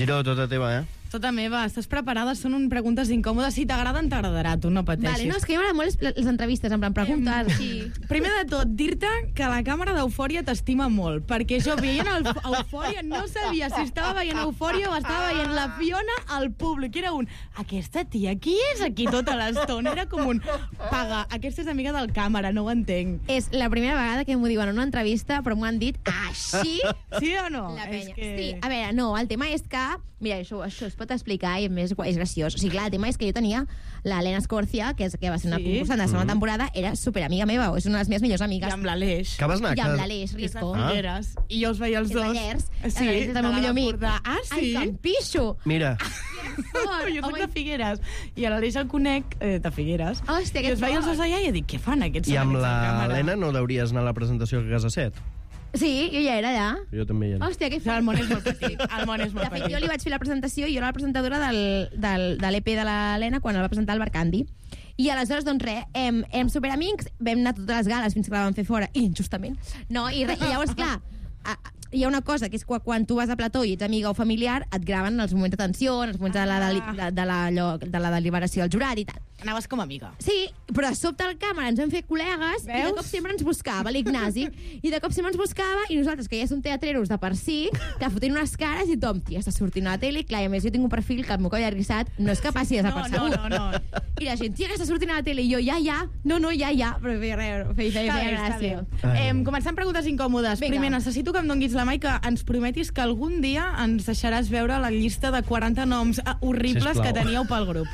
Giro, tota teva, eh? Tota meva, estàs preparada? Són un preguntes incòmodes. Si t'agraden, t'agradarà, tu no pateixis. Vale, no, és que a mi m'agraden molt les, les entrevistes, en plan, preguntes. Sí. Primer de tot, dir-te que la càmera d'Eufòria t'estima molt, perquè jo veient el, Eufòria no sabia si estava veient Eufòria o estava veient la Fiona al públic. Era un, aquesta tia, qui és aquí tota l'estona? Era com un, paga, aquesta és amiga del càmera, no ho entenc. És la primera vegada que m'ho diuen en una entrevista, però m'ho han dit així. Sí o no? La penya. És que... Sí, a veure, no, el tema és que... Mira, això, això es pot explicar i a més és graciós. O sigui, clar, el tema és que jo tenia l'Helena Escorcia, que, és, que va ser una Sí. concursant de la segona Mm. temporada, era superamiga meva, és una de les meves millors amigues. I amb l'Aleix. Que vas anar? I amb Que- l'Aleix Risco. Ah. Figueres. I jo els veia els És dos. Vallers. Sí, L'Aleix és el meu millor amic. Ah, sí? Ai, que em pixo! Mira, Jo soc de Figueres. I a l'Aleix el conec eh, de Figueres. Hòstia, I que els veia els dos allà i dic, què fan aquests? i amb aquests de càmera? l'Helena no hauries anar a la presentació a Casa Set? Sí, jo ja era allà. Jo també hi era. Hòstia, que El món és molt petit. El món és molt De fet, petit. jo li vaig fer la presentació i jo era la presentadora del, del, de l'E P de l'Helena quan el va presentar el Barcandi. I aleshores, doncs res, em, em superamics, vam anar a totes les gales fins que la vam fer fora, injustament. No, i, re, i llavors, clar, a, hi ha una cosa, que és quan, quan tu vas a plató i ets amiga o familiar, et graven els moments de tensió, els moments de la, de, de, de, la, allò, de la deliberació del jurat i tal. Anaves com a amiga. Sí, però de sobte al càmera ens vam fer col·legues i de cop sempre ens buscava l'Ignasi i de cop sempre ens buscava i nosaltres, que ja som teatreros de per si, que fotent unes cares i tothom, tia, està sortint a la tele i clar, i a més jo tinc un perfil que el meu coll arrissat no és que passi desapercebut. No, no, no. I la gent, tia, que està sortint a la tele i jo, ja, ja, no, no, ja, ja, però feia, feia, feia, feia, Està bé, feia està bé. gràcia. Eh, comencem preguntes incòmodes. Vinga. Primer, necessito que em donguis la mà i que ens prometis que algun dia ens deixaràs veure la llista de quaranta noms eh, horribles Sisplau. que teníeu pel grup.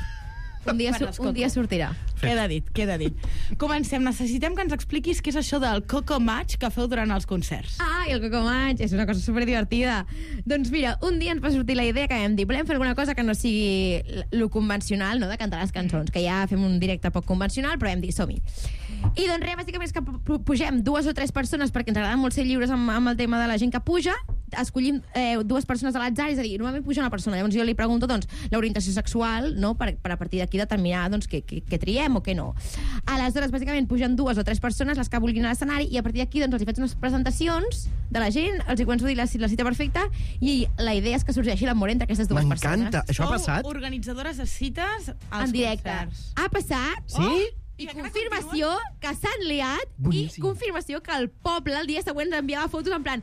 Un dia, Me su- l'escolto. un dia sortirà. Queda dit, queda dit. Comencem. Necessitem que ens expliquis què és això del Coco Match que feu durant els concerts. Ah, i el Coco Match és una cosa superdivertida. Doncs mira, un dia ens va sortir la idea que vam dir volem fer alguna cosa que no sigui lo convencional, no?, de cantar les cançons, que ja fem un directe poc convencional, però vam dir som-hi. I doncs res, bàsicament és que pu- pugem dues o tres persones perquè ens agrada molt ser lliures amb, amb el tema de la gent que puja, escollim eh, dues persones a l'atzar, és a dir, normalment puja una persona, llavors jo li pregunto doncs, l'orientació sexual, no?, per, per a partir d'aquí determinar doncs, què, què, què triem o què no. Aleshores, bàsicament, pugen dues o tres persones, les que vulguin a l'escenari, i a partir d'aquí doncs, els hi faig unes presentacions de la gent, els hi començo a dir la, la cita perfecta, i la idea és que sorgeixi l'amor entre aquestes dues persones. M'encanta. Això ha passat? Sou organitzadores de cites als En directe. concerts. Ha passat. Sí? I confirmació que s'han liat Boníssim. i confirmació que el poble el dia següent ens enviava fotos en plan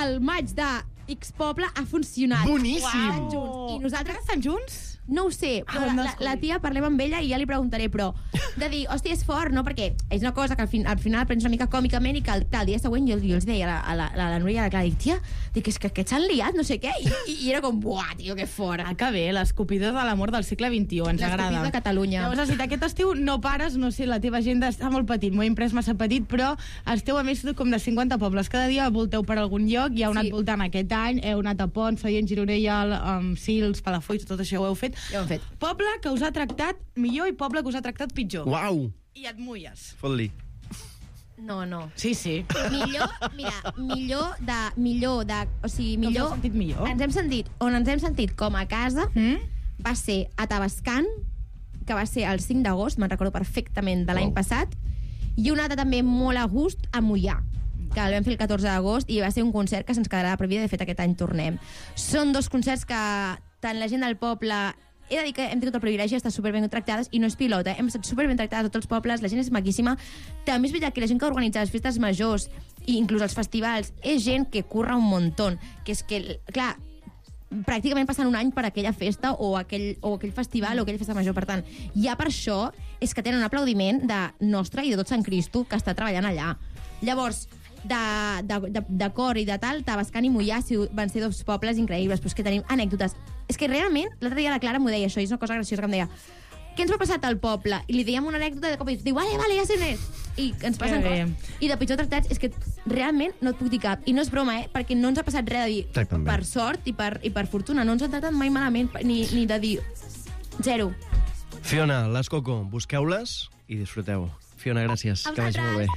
el maig de X poble ha funcionat. Boníssim. Estan junts. I nosaltres estan junts? No ho sé, però Ah, la, no la, descobri. la tia parlem amb ella i ja li preguntaré, però de dir, hòstia, és fort, no? Perquè és una cosa que al, fin, al final prens una mica còmicament i que el, que el dia següent jo, jo els deia a la, a la, a la Núria, que dic, tia, dic, és que aquests s'han liat, no sé què, i, i, i era com, buah, tio, que fort. Ah, que bé, l'escopidor de l'amor del segle vint-i-u, ens agrada. L'escopidor de Catalunya. Llavors, si aquest estiu no pares, no sé, la teva agenda està molt petit, m'ho he imprès massa petit, però esteu a més com de cinquanta pobles. Cada dia volteu per algun lloc, i heu anat Sí. voltant aquest any, heu anat a Pont, Sallent, Gironella, um, Sils, Palafolls, tot això ho heu fet. dit ja ho hem fet. poble que us ha tractat millor i poble que us ha tractat pitjor. Uau! I et mulles. Fot-li. No, no. Sí, sí. Millor, mira, millor de... Millor de... O sigui, millor... us heu sentit millor? Ens hem sentit... On ens hem sentit com a casa mm? va ser a Tavascan, que va ser el cinc d'agost, me'n recordo perfectament, de l'any Wow. passat, i una altra també molt a gust a Moià, que el vam fer el catorze d'agost i va ser un concert que se'ns quedarà per vida. De fet, aquest any tornem. Són dos concerts que tant la gent del poble... He de dir que hem tingut el privilegi d'estar superben tractades i no és pilota, hem estat superben tractades a tots els pobles, la gent és maquíssima. També és veritat que la gent que organitza les festes majors i inclús els festivals és gent que curra un muntó, que és que, clar, pràcticament passen un any per aquella festa o aquell, o aquell festival o aquella festa major. Per tant, ja per això és que tenen un aplaudiment de nostre i de tot Sant Cristo que està treballant allà. Llavors, de, de, de, de cor i de tal, Tavascan i Moià van ser dos pobles increïbles, però és que tenim anècdotes. És que realment, l'altre dia la Clara m'ho deia això, i és una cosa graciosa que em deia: què ens va passar al poble? I li dèiem una anècdota i de cop i diu, vale, vale, ja sé on és. I ens passen Que coses. bé. I de pitjor tractats és que realment no et puc dir cap. I no és broma, eh? Perquè no ens ha passat res de dir Tracten bé. per sort i per, i per fortuna. No ens han tractat mai malament, ni, ni de dir zero. Fiona, les Coco, busqueu-les i disfruteu. Fiona, gràcies. A Que vagi molt bé.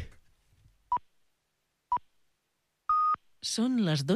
Són les